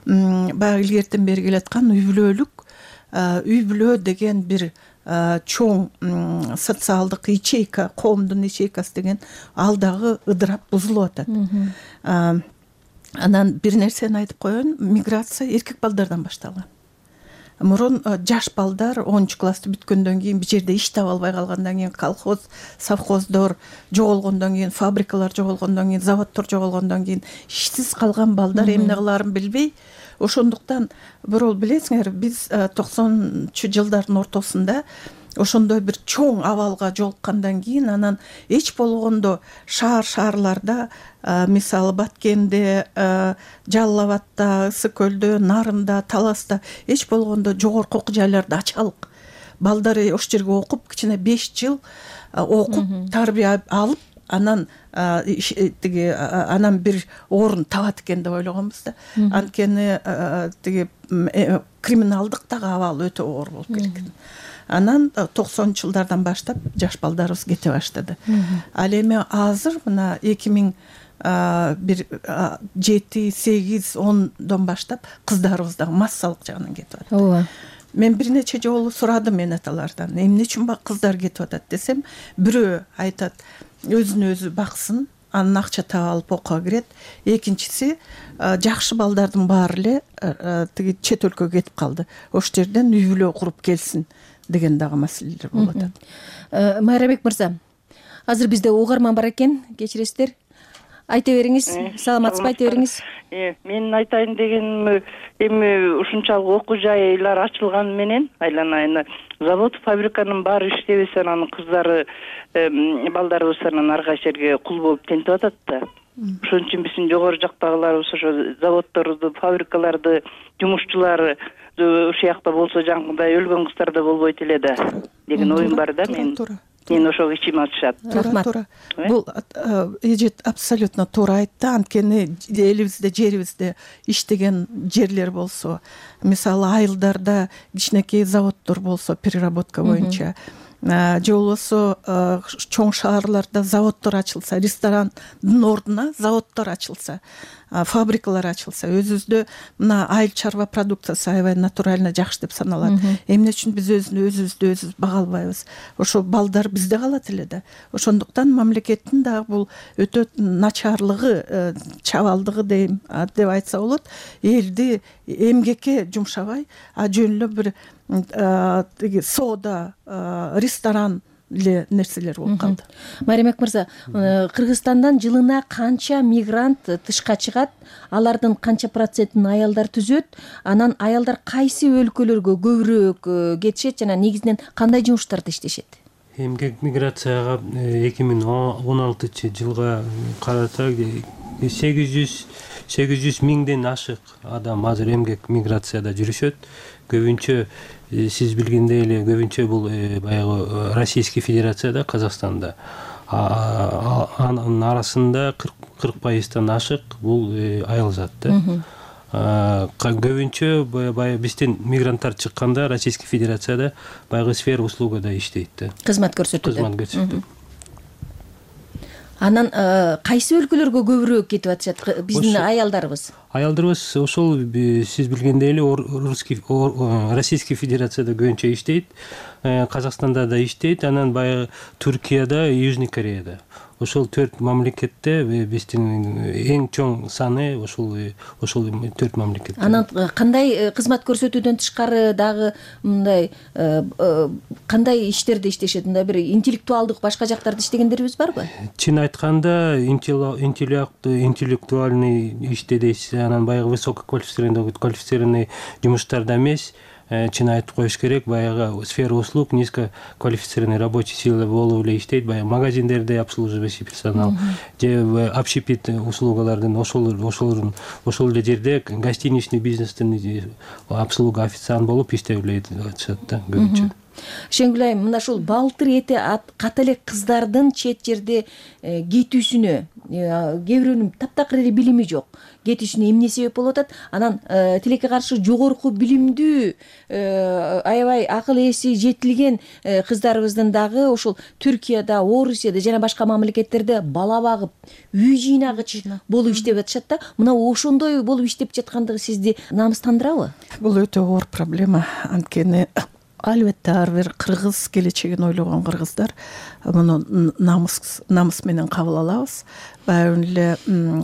баягы илгертен бери келаткан үй бүлөлүк, үй бүлө деген бир чоң социалдык ячейка, коомдун ячейкасы деген ал дагы ыдырап бузулуп атат. Анан бир нерсени айтып коеюн, миграция эркек балдардан башталган. Мурун жаш балдар онунчу классты бүткөндөн кийин бир жерде иш таба албай калгандан кийин, колхоз, совхоздор жоголгондон кийин, фабрикалар жоголгондон кийин, заводдор жоголгондон кийин ишсиз калган балдар эмне кылаарын билбей, ошондуктан бирөө билесиңер, биз токсонунчу жылдардын ортосунда ошондой бир чоң абалга жолуккандан кийин анан эч болгондо шаар шаарларда, мисалы Баткенде, Жалал Абадта, Ысык көлдө, Нарында, Таласта эч болгондо жогорку окуу жайларды ачалык. Балдары ош жерге окуп, кичине беш жыл окуп, тарбия алып, анан тиги анан бир орун табат экен деп ойлогонбуз да. Анткени тиги криминалдык дагы абал өтө оор болуп кеткен. Анан токсонунчу жылдардан баштап жаш балдарыбыз кете баштады. Ал эми азыр мына эки миң бир жети, сегиз, ондон баштап кыздарыбыз дагы массалык жагынан кетип атат. Ооба. Мен бир нече жолу сурадым мен аталардан, эмне үчүн бак кыздар кетип атат десем, бирөө айтат, өзүн өзү баксын, анан акча таап алып окууга кирет. Экинчиси, жакшы балдардын баары эле тиги чет өлкөгө кетип калды. Ош жерден үй бүлө куруп келсин деген дагы маселелер болуп атат. Майрабек мырза, азыр бизде угарман бар экен, кечиресиздер. Айта бериңиз, саламатсызбы, айта бериңиз. Мен айтайын дегеним, эми ушунчалык окуу жайлар ачылганы менен айланайын завод, фабриканын баары иштебесе, анан кыздары, балдарыбыз анан ар кайсы жерге кул болуп тентип атат да. Ошон үчүн биздин жогору жактагыларыбыз ошо заводдорду, фабрикаларды, жумушчулары ушул жакта болсо жаңгыдай өлгөн кыздар да болбойт эле да деген оюм бар да. Мен мен ошого ичим ачышат. Туура. Бул эжет абсолютно туура айтты. Анткени элибизде, жерибизде иштеген жерлер болсо, мисалы айылдарда кичинекей заводдор болсо, переработка боюнча, же болбосо чоң шаарларда заводдор ачылса, ресторандын ордуна заводдор ачылса, фабрикалар ачылса, өзүбүздө мына айыл чарба продукциясы аябай натурально жакшы деп саналат. Эмне үчүн биз өзүбүздү өзүбүз бага албайбыз? Ошо балдар бизде калат эле да. Ошондуктан мамлекеттин дагы бул өтө начарлыгы, чабалдыгы дейм деп айтса болот. Элди эмгекке жумшабай, а жөн эле бир тиги соода, ресторан эле нерселер болуп калды. Маримбек мырза, Кыргызстандан жылына канча мигрант тышка чыгат? Алардын канча процентин аялдар түзөт? Анан аялдар кайсы өлкөлөргө көбүрөөк кетишет жана негизинен кандай жумуштарда иштешет? Эмгек миграцияга эки миң он алтынчы жылга карасак сегиз жүз миңден ашык адам азыр эмгек миграцияда жүрүшөт. Көбүнчө сиз билгендей эле көбүнчө бул баягы Российский Федерацияда, Казакстанда. Анын арасында кырк пайыздан ашык бул айыл зат да. Көбүнчө баягы бизден мигранттар чыкканда Российский Федерацияда баягы сфера услугада иштейт да. Кызмат көрсөтүүдө. Кызмат көрсөтүүдө. Анан кайсы өлкөлөргө көбүрөөк кетип атышат биздин аялдарыбыз? Аялдарыбыз ошол сиз билгендей эле Российский Федерацияда көбүнчө иштейт, Казакстанда да иштейт, анан баягы Түркияда, Южный Кореяда. Ошол төрт мамлекетте биздин эң чоң саны ошол ошол төрт мамлекет. Анан кандай кызмат көрсөтүүдөн тышкары дагы мындай кандай иштерде иштешет? Мындай бир интеллектуалдык башка жактарда иштегендерибиз барбы? Чын айтканда интеллектуальный иште дейсиз, анан баягы высококвалифицированный квалифицированный жумуштарда эмес. Чын айтып коюш керек, баягы сфера услуг, низкоквалифицированный рабочий сила болуп эле иштейт, баягы магазиндерде обслуживающий персонал, же общепит услугалардын ошол ошол ошол эле жерде гостиничный бизнестин обслуга официант болуп иштеп эле атышат да көбүнчө. Шеңгүл айым, мына ушул балтыр эти ката эле кыздардын чет жерде кетүүсүнө кээ бирөөнүн таптакыр эле билими жок, кетишине эмне себеп болуп атат? Анан тилекке каршы жогорку билимдүү, аябай акыл эси жетилген кыздарыбыздын дагы ошол Түркияда, Орусияда жана башка мамлекеттерде бала багып, үй жыйнагыч болуп иштеп атышат да. Мына ошондой болуп иштеп жаткандыгы сизди намыстандырабы? Бул өтө оор проблема. Анткени албетте ар бир кыргыз келечегин ойлогон кыргыздар муну намыс намыс менен кабыл алабыз. Баягы эле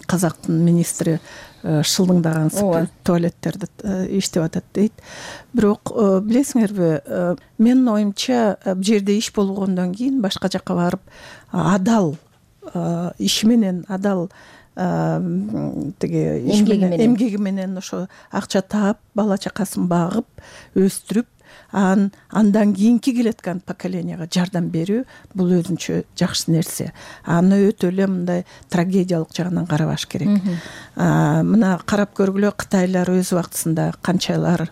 Казактын министри шылдыңдаган туалеттерди иштеп атат дейт. Бирок билесиңерби, менин оюмча бул жерде иш болгондон кийин башка жакка барып адал иши менен, адал тиги эмгеги менен ошо акча таап, бала чакасын багып, өстүрүп, андан кийинки келаткан поколенияга жардам берүү бул өзүнчө жакшы нерсе. Аны өтө эле мындай трагедиялык жагынан карабаш керек. Мына карап көргүлө, кытайлар өз убактысында канчалар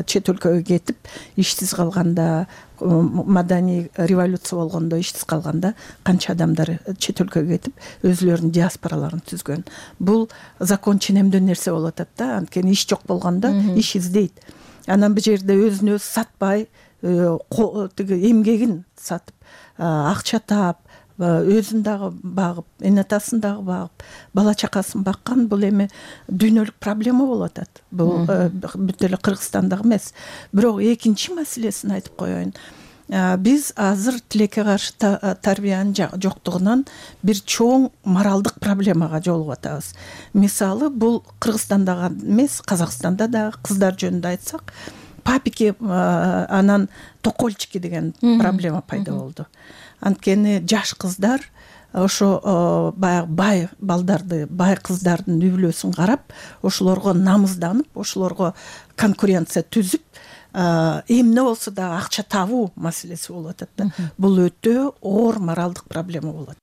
чет өлкөгө кетип ишсиз калганда, маданий революция болгондо ишсиз калганда канча адамдар чет өлкөгө кетип өзүлөрүнүн диаспораларын түзгөн. Бул закон ченемдүү нерсе болуп атат да, анткени иш жок болгондо иш издейт. Анан бул жерде өзүн өзү сатпай, тиги эмгегин сатып, акча таап, өзүн дагы багып, эне атасын дагы багып, бала чакасын баккан бул эми дүйнөлүк проблема болуп атат. Бул бүт эле Кыргызстандагы эмес. Бирок экинчи маселесин айтып коеюн. Биз азыр тилекке каршы тарбиянын жоктугунан бир чоң моралдык проблемага жолугуп атабыз. Мисалы, бул Кыргызстанда эмес, Казакстанда да кыздар жөнүндө айтсак, папики анан токольчики деген проблема пайда болду. Анткени жаш кыздар ошо баягы бай балдарды, бай кыздардын үй бүлөсүн карап, ошолорго намызданып, ошолорго конкуренция түзүп, эмне болсо да акча табуу маселеси болуп атат да. Бул өтө оор моралдык проблема болот.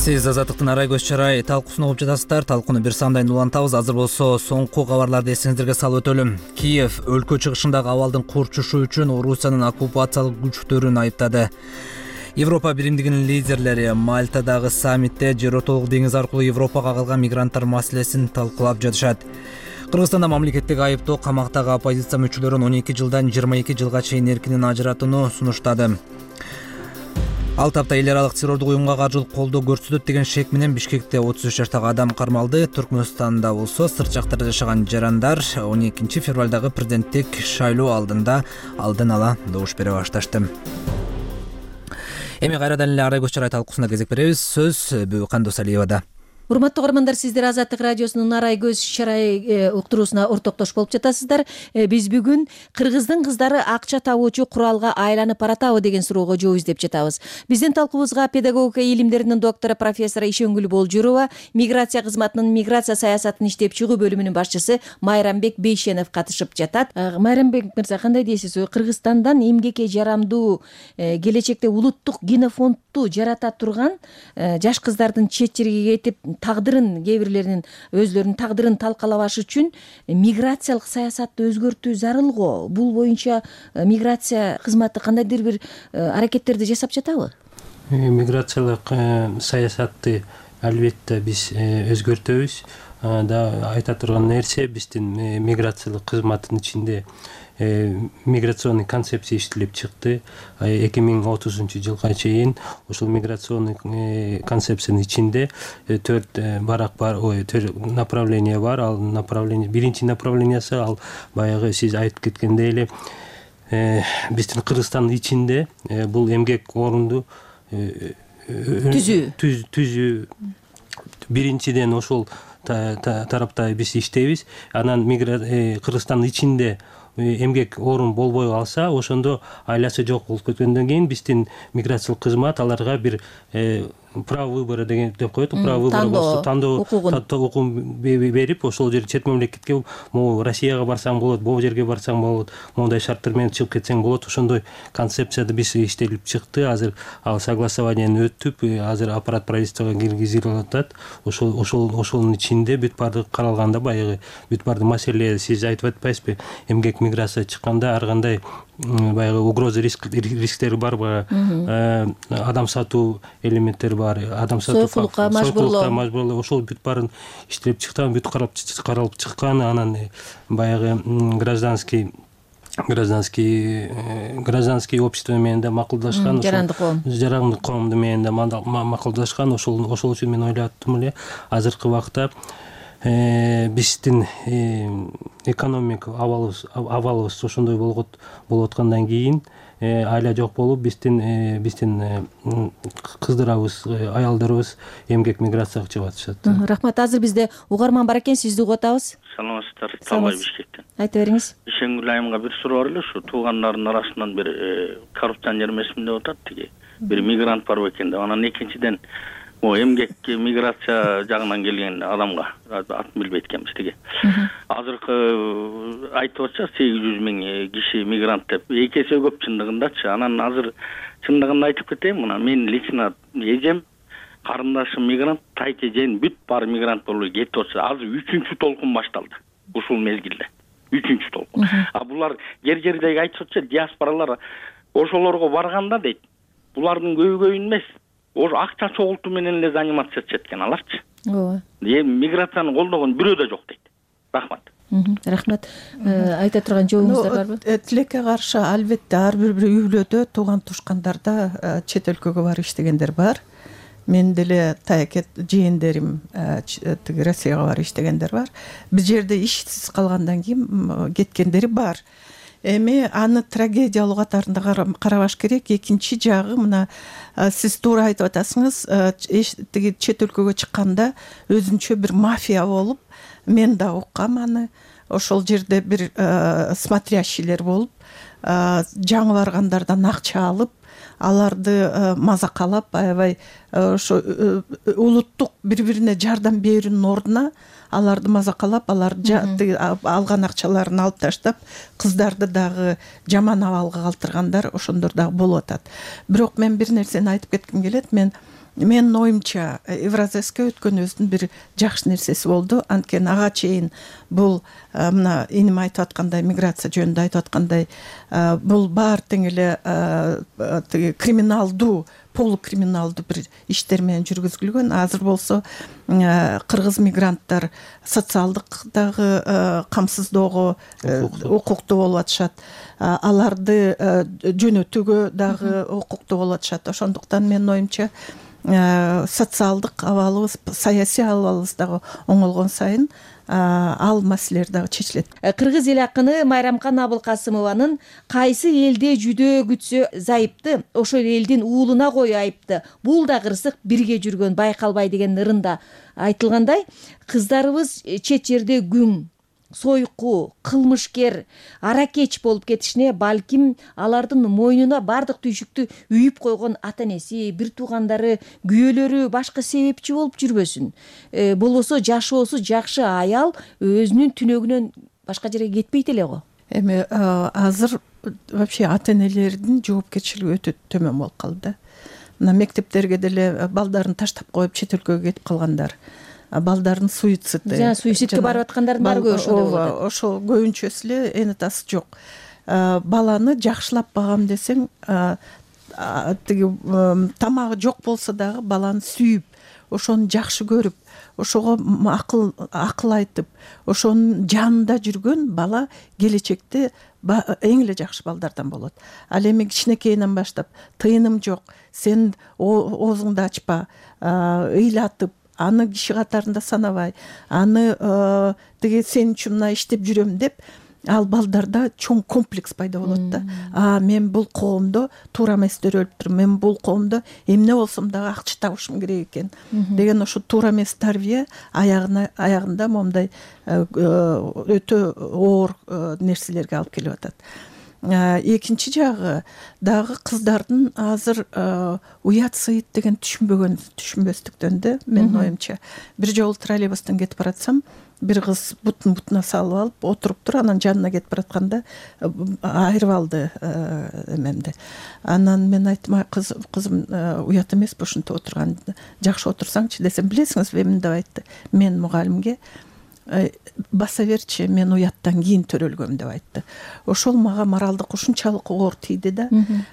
Сиз Азаттыктын арай көз чарай талкуусун угуп жатасыздар. Талкууну бир сандайын улантабыз. Азыр болсо соңку кабарларды эсиңиздерге салып өтөлүм. Киев өлкө чыгышындагы абалдын курчушу үчүн Орусиянын оккупациялык күчтөрүн айыптады. Европа биримдигинин лидерлери Мальтадагы саммитте Жер отолук деңиз аркылуу Европага калган мигранттар маселесин талкуулап жатышат. Кыргызстанда мамлекеттик айыптоо камактагы оппозиция мүчөлөрүн он эки жылдан жыйырма эки жылга чейин эркинен ажыратууну сунуштады. Алты апта эл аралык террордук уюмга каржылык колдоо көрсөтөт деген шек менен Бишкекте отуз үч жаштагы адам кармалды. Түркмөнстанда болсо сырт жактарда жашаган жарандар он экинчи февралдагы президенттик шайлоо алдында алдын ала добуш бере башташты. Эми кайрадан эле Арай көз чарай талкуусуна кезек беребиз. Сөз Бүбү Кандосалиевада. Урматтуу угармандар, сиздер Азаттык радиосунун Арай көз чарай уктуруусуна ортоктош болуп жатасыздар. Биз бүгүн кыргыздын кыздары акча табуучу куралга айланып баратабы деген суроого жооп издеп жатабыз. Биздин талкуубузга педагогика илимдеринин доктору профессор Ишенгүл Болжурова, миграция кызматынын миграция саясатын иштеп чыгуу бөлүмүнүн башчысы Майрамбек Бейшенов катышып жатат. Майрамбек мырза, кандай дейсиз? Кыргызстандан эмгекке жарамдуу, келечекте улуттук генофондду жарата турган жаш кыздардын чет жерге кетип тагдырын, кээ бирлеринин өзлөрүнүн тагдырын талкалабаш үчүн миграциялык саясатты өзгөртүү зарыл го. Бул боюнча миграция кызматы кандайдыр бир аракеттерди жасап жатабы? Миграциялык саясатты албетте биз өзгөртөбүз. Да айта турган нерсе, биздин миграциялык кызматтын ичинде миграционный концепция иштелип чыкты. эки миң отузунчу жылга чейин ушул миграционный концепциянын ичинде төрт барак бар, ой, төрт направление бар. Ал направление, биринчи направлениясы ал баягы сиз айтып кеткендей эле биздин Кыргызстандын ичинде бул эмгек орунду түзүү түзүү биринчиден ошол тарапта биз иштейбиз. Анан Кыргызстандын ичинде эмгек орун болбой калса, ошондо айласы жок болуп кеткөндөн кийин биздин миграциялык кызмат аларга бир право выбора деген деп коет. Право выбора тандоо укугун берип, ошол жер чет мамлекетке, могу Россияга барсаң болот, могу жерге барсаң болот, моундай шарттар менен чыгып кетсең болот. Ошондой концепцияда биз иштелип чыкты. Азыр ал согласованияны өтүп, азыр аппарат правительствого киргизилип атат. Ошол ошол ошонун ичинде бүт баардыгы каралганда, баягы бүт баардык маселе сиз айтып атпайсызбы? Эмгек миграция чыкканда ар кандай баягы угроза рисктери бар, баягы адам сатуу элементтери бар, адам сатуу, сойкулукка мажбурлоо, ошол бүт баарын иштелип чыкты, бүт каралып чыккан. Анан баягы гражданский гражданский гражданский общество менен да макулдашкан, жарандык коом жарандык коом менен да макулдашкан. Ошол ошол үчүн мен ойлоптум эле азыркы убакта биздин экономика абалыбыз абалыбыз ошондой болуп аткандан кийин айла жок болуп, биздин биздин кыздарыбыз, аялдарыбыз эмгек миграцияга чыгып атышат. Рахмат. Азыр бизде угарман бар экен, сизди угуп атабыз. Саламатсыздар, Талбай Бишкектен. Айта бериңиз. Ишенгүл айымга бир суроо бар эле, ушу туугандардын арасынан бир коррупционер эмесмин деп атат тиги. Бир мигрант бар экен деп. Анан экинчиден о эмгек миграция жагынан келген адамга атын билбейт экенбиз тиги. Азыркы айтып атышат сегиз жүз миң киши мигрант деп. Эки эсе көп чындыгындачы. Анан азыр чындыгын айтып кетейин, мына мен лично эжем, карындашым мигрант, тайт эжем бүт баары мигрант болуп кетип атышат. Азыр үчүнчү толкун башталды ушул мезгилде. Үчүнчү толкун. А булар жер жердеги айтып атышат, диаспоралар ошолорго барганда дейт, булардын көйгөйүн эмес, ошо акча чогултуу менен эле заниматься этишет экен аларчы. Ооба. Эми миграцияны колдогон бирөө да жок дейт. Рахмат. Рахмат. Айта турган жообуңуздар барбы? Тилекке каршы албетте ар бир бир үй бүлөдө тууган тушкандарда чет өлкөгө барып иштегендер бар. Мен деле таяк жээндерим тиги Россияга барып иштегендер бар. Бир жерде ишсиз калгандан кийин кеткендери бар. Эми аны трагедиялуу катарында карабаш керек. Экинчи жагы, мына сиз туура айтып атасыңыз, тиги чет өлкөгө чыкканда өзүнчө бир мафия болуп, мен да уккам аны. Ошол жерде бир смотрящийлер болуп, жаңы баргандардан акча алып, аларды мазакалап, аябай ошо улуттук бири-бирине жардам берүүнүн ордуна аларды мазакалап, аларды алган акчаларын алып таштап, кыздарды дагы жаман абалга калтыргандар ошондор дагы болуп атат. Бирок мен бир нерсени айтып кетким келет. Мен Менин оюмча Евразеске өткөнүбүздүн бир жакшы нерсеси болду. Анткени ага чейин бул мына эним айтып аткандай, миграция жөнүндө айтып аткандай, бул баары тең эле криминалдуу полукриминалдуу бир иштер менен жүргүзүлгөн. Азыр болсо кыргыз мигранттар социалдык дагы камсыздоого укуктуу болуп атышат, аларды жөнөтүүгө дагы укуктуу болуп атышат. Ошондуктан менин оюмча социалдык абалыбыз, саясий абалыбыз дагы оңолгон сайын ал маселелер дагы чечилет. Кыргыз эл акыны Майрамкан Абылкасымованын кайсы элде жүдөө күтсө зайыпты, ошол элдин уулуна кой айыпты, бул да кырсык бирге жүргөн байкалбай деген ырында айтылгандай, кыздарыбыз чет жерде күң, сойку, кылмышкер, аракеч болуп кетишине балким алардын мойнуна бардык түйшүктү үйүп койгон ата энеси, бир туугандары, күйөөлөрү башка себепчи болуп жүрбөсүн. Э, болбосо жашоосу жакшы аял өзүнүн түнөгүнөн башка жерге кетпейт эле го. Эми азыр вообще ата энелердин жоопкерчилиги өтө төмөн болуп калды. Мына мектептерге деле балдарын таштап коюп чет өлкөгө кетип калгандар, балдардын суициди, жана суицидке барып аткандардын баары көп ошондой болуп атат. Ошол көбүнчөсү эле эни тасы жок. Баланы жакшылап багам десең, тиги тамагы жок болсо дагы баланы сүйүп, ошону жакшы көрүп, ошого акыл акыл айтып, ошонун жанында жүргөн бала келечекте эң эле жакшы балдардан болот. Ал эми кичинекейинен баштап тыйыным жок, сен оозуңду ачпа, ыйлатып, аны киши катарында санабай, аны тиги сен үчүн мына иштеп жүрөм деп, ал балдарда чоң комплекс пайда болот да. А мен бул коомдо туура эместер өлүп тур, мен бул коомдо эмне болсом дагы акча табышым керек экен деген ошо туура эмес тарбия аягына аягында момундай өтө оор нерселерге алып келип атат. Экинчи жагы дагы кыздардын азыр уят сыйыт деген түшүнбөгөн түшүнбөстүктөн да, менин оюмча. Бир жолу троллейбустан кетип баратсам, бир кыз бутун бутуна салып алып отуруптур, анан жанына кетип баратканда айырып алды эмемди. Анан мен айттым, кызым уят эмеспи ушинтип отурган, жакшы отурсаңчы десем, билесиңизби эмне деп айтты? Мен мугалимге баса берчи, мен уяттан кийин төрөлгөм деп айтты. Ошол мага моралдык ушунчалык оор тийди да.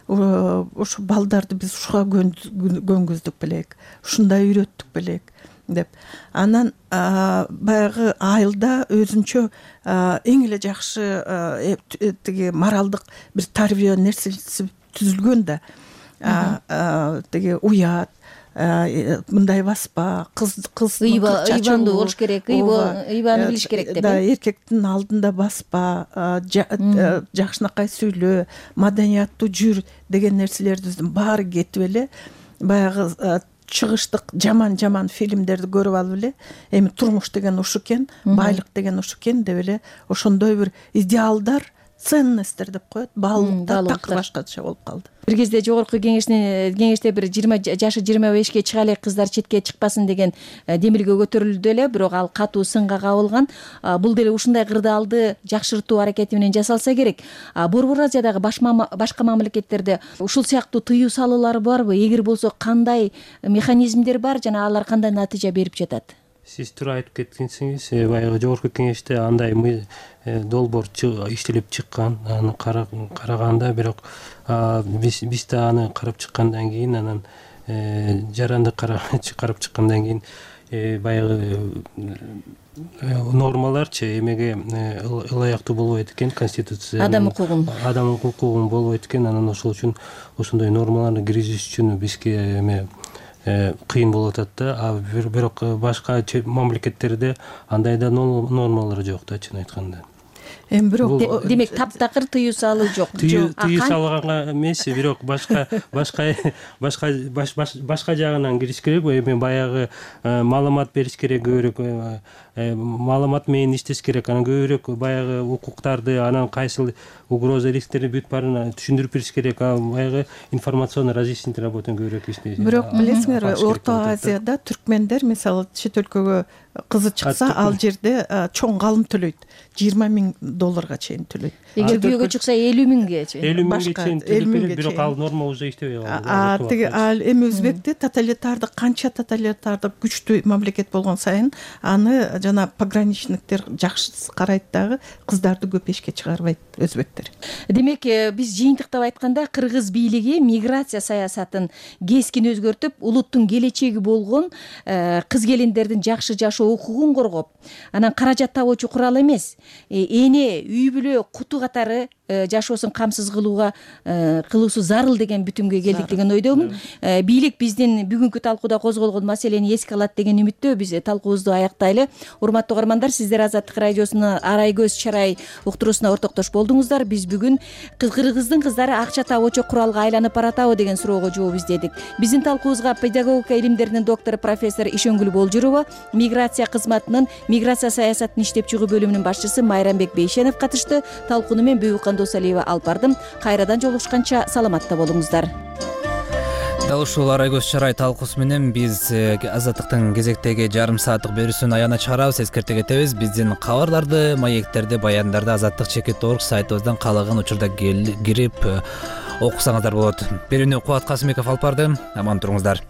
Ошо балдарды биз ушуга көнгүздүк белек, ушундай үйрөттүк белек деп. Анан баягы айылда өзүнчө эң эле жакшы тиги моралдык бир тарбия нерсеси түзүлгөн да. Тиги уят, мындай баспа, кыз кыз ыйбанды болуш керек, ыйбаны билиш керек деп. Да, эркектин алдында баспа, жакшынакай сүйлө, маданияттуу жүр деген нерселердин баары кетип эле баягы чыгыштык жаман-жаман фильмдерди көрүп алып эле, эми турмуш деген ушу экен, байлык деген ушу экен деп эле ошондой бир идеалдар, ценностер деп коет, баалуулуктар такыр башкача болуп калды. Бир кезде жогорку кеңештин кеңеште бир жыйырма жашы жыйырма бешке чыга элек кыздар четке чыкпасын деген демилге көтөрүлдү эле, бирок ал катуу сынга кабылган. Бул деле ушундай кырдаалды жакшыртуу аракети менен жасалса керек. Борбор Азиядагы башка мамлекеттерде ушул сыяктуу тыюу салуулары барбы? Эгер болсо, кандай механизмдер бар жана алар кандай натыйжа берип жатат? Сиз туура айтып кеткенсиңиз, баягы жогорку кеңеште андай долбоор иштелип чыккан, аны караганда, бирок биз биз да аны карап чыккандан кийин, анан жаранды карап чыккандан кийин баягы нормаларчы эмеге ылайыктуу болбойт экен, конституция адам укугун адам укугун болбойт экен. Анан ошол үчүн ошондой нормаларды киргизиш үчүн бизге эме кыйын болуп атат да. Бирок башка мамлекеттерде андай да нормалар жок да, чын айтканда. Эми бирок демек таптакыр тыюу салуу жок. Тыюу салганга эмес, бирок башка башка башка башка жагынан кириш керек. Эми баягы маалымат бериш керек, көбүрөөк маалымат менен иштеш керек. Анан көбүрөөк баягы укуктарды, анан кайсыл угроза, рисктерди бүт баарын түшүндүрүп бериш керек. Баягы информационно разъяснительный работаны көбүрөөк иштеш. Бирок билесиңерби, Орто Азияда түркмендер мисалы чет өлкөгө кызы чыкса, ал жерде чоң калым төлөйт. жыйырма миң долларга чейин төлөйт. Эгер күйөөгө чыкса элүү миңге чейин элүү миңге чейин төлөп берет, бирок ал норма уже иштебей калды. Тиги ал эми өзбекте тоталитардык канча тоталитардык күчтүү мамлекет болгон сайын аны жана пограничниктер жакшы карайт дагы, кыздарды көп эшикке чыгарбайт өзбектер. Демек биз жыйынтыктап айтканда кыргыз бийлиги миграция саясатын кескин өзгөртүп, улуттун келечеги болгон кыз келиндердин жакшы жашоо укугун коргоп, анан каражат табуучу курал эмес, эне үй бүлө куту катары жашоосун камсыз кылууга кылуусу зарыл деген бүтүмгө келдик деген ойдомун. Бийлик биздин бүгүнкү талкууда козголгон маселени эске алат деген үмүттө биз талкуубузду аяктайлы. Урматтуу угармандар, сиздер Азаттык радиосунун Арай көз чарай уктуруусуна ортоктош болдуңуздар. Биз бүгүн кыргыздын кыздары акча табуучу куралга айланып баратабы деген суроого жооп издедик. Биздин талкуубузга педагогика илимдеринин доктору профессор Ишенгүл Болжурова, миграция кызматынын миграция саясатын иштеп чыгуу бөлүмүнүн башчысы Майрамбек Бейшенов катышты. Талкууну мен Бүйүккан Досалиева алып бардым. Кайрадан жолугушканча саламатта болуңуздар. Дал ушул Арай көз чарай талкуусу менен биз Азаттыктын кезектеги жарым сааттык берүүсүн аягына чыгарабыз. Эскерте кетебиз, биздин кабарларды, маектерди, баяндарды азаттык чекит орг сайтыбыздан каалаган учурда кирип окусаңыздар болот. Берүүнү Кубат Касымбеков алып барды. Аман туруңуздар.